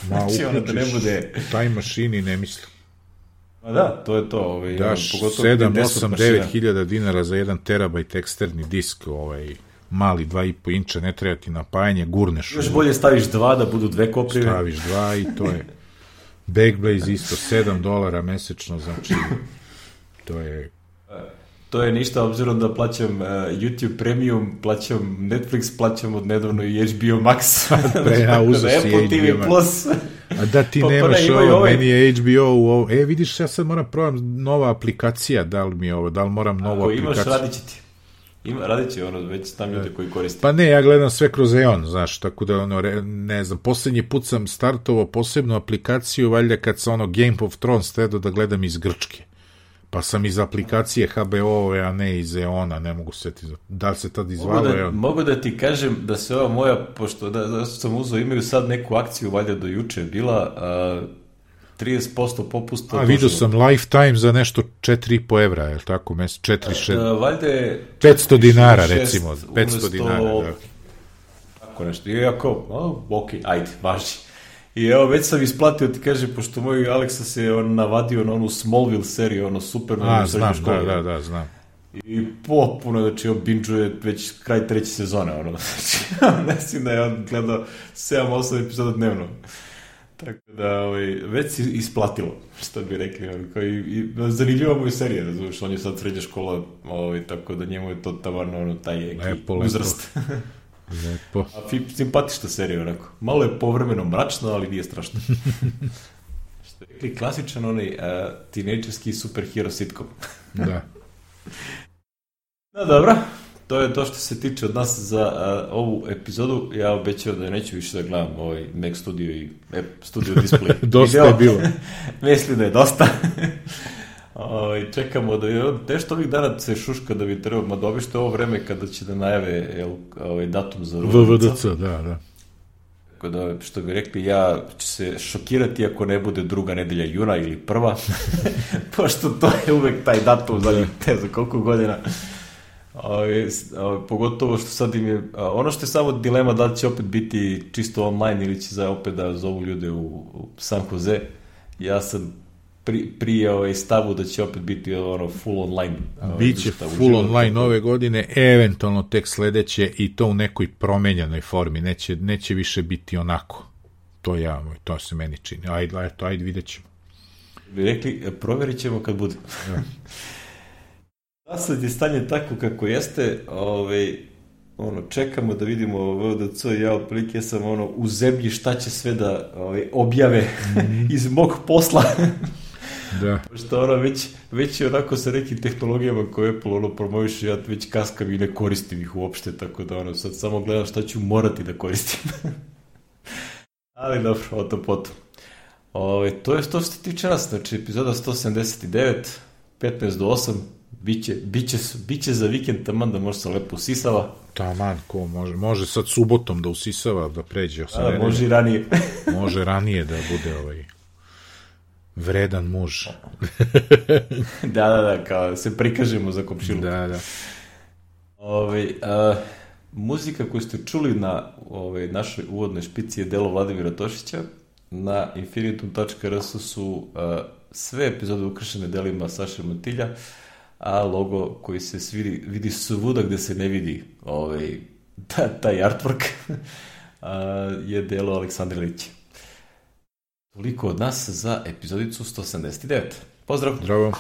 Znači, da ne bude... Time machine i ne mislim. Da, to je to. Daš 7, 8, 9 hiljada dinara za 1 terabajt eksterni disk, mali 2,5 inča, ne treba ti napajanje, gurneš. Još bolje staviš 2 da budu 2 koprive. Staviš 2 i to je Backblaze isto $7 mesečno, znači to je ništa, obzirom da plaćam YouTube Premium, plaćam Netflix, plaćam od nedavno i HBO Max. Apple TV Plus. A da ti nemaš meni je HBO vidiš, ja sad moram probam nova aplikacija, da li moram novu aplikaciju. Ako imaš, radit će ti. Radit će već tam ljudi koji koriste. Pa ne, ja gledam sve kroz Eon, znaš, tako da ne znam, posljednji put sam startovao posebnu aplikaciju, valjda kad sam Game of Thrones trebao da gledam iz Grčke. Pa sam iz aplikacije HBO-ove, a ne iz Eona, ne mogu setiti. Da li se tad izvalo Eon? Mogu da ti kažem da se ova moja, pošto da sam uzeo, imaju sad neku akciju, valjda do juče bila, 30% popusta. A vidio sam Lifetime za nešto 4,5 evra, je li tako? 4,6. Valjda je 500 dinara, recimo. 500 dinara, da. Tako nešto. I jako, ok, ajde, važi. I evo, već sam isplatio, ti kaže, pošto moj Aleksa se navadio na onu Smallville seriju, ono super na srednju školu. Da, znam. I potpuno, znači, on binđuje već kraj 3. sezone, ono. Znači, mislim da je on gledao 7-8 epizoda dnevno. Tako da, već si isplatilo, što bi rekli. I zanimljiva mu je serija, razumiješ, on je sad srednja škola, tako da njemu je to tavarno, taj uzrast. Lepo. A simpatična serija, onako. Malo je povremeno mračno, ali nije strašno. Što je rekli, klasičan onaj tinejdžerski superhero sitcom. Da. No, dobro. To je to što se tiče od nas za ovu epizodu. Ja obećao da neću više da gledam ovaj Mac Studio i Studio Display. Dosta je bilo. Mislim da je dosta. Čekamo da je nešto ovih dana se šuška da bi trebao, da obište ovo vreme kada će da najave datum za VVDC, da. Tako da, što bi rekli, ja ću se šokirati ako ne bude 2. nedelja juna ili 1. Pošto to je uvek taj datum za koliko godina. Pogotovo što sad im je ono što je samo dilema da li će opet biti čisto online ili će opet da zovu ljude u San Jose. Ja sam prije stavu da će opet biti full online. Biće full online ove godine, eventualno tek sledeće i to u nekoj promenjenoj formi, neće više biti onako. To se meni čini. Ajde vidjet ćemo. Bi rekli, provjerit ćemo kad bude. Da. Sad je stanje tako kako jeste, čekamo da vidimo VDC, ja otprilike sam u zemlji šta će sve da objave iz mog posla. Da. Što već je onako sa nekim tehnologijama koje Apple promoviše, ja već kaskam i ne koristim ih uopšte, tako da sad samo gledam šta ću morati da koristim. Ali dobro, o to potom. To je to što se tiče nas, znači epizoda 179, 15 do 8, biće za vikend taman da može se lepo usisava. Taman, ko može sad subotom da usisava, da pređe. Može i ranije. Može ranije da bude vredan muž. Da, kao se prikažemo za komšilu. Da. Muzika koju ste čuli na našoj uvodnoj špici je delo Vladimira Tošića. Na infinitum.rs su sve epizode ukršene delima Saše Montilja, a logo koji se vidi svuda gde se ne vidi taj artwork je delo Aleksandra Ilića. Toliko od nas za epizodicu 179. Pozdrav! Zdravo!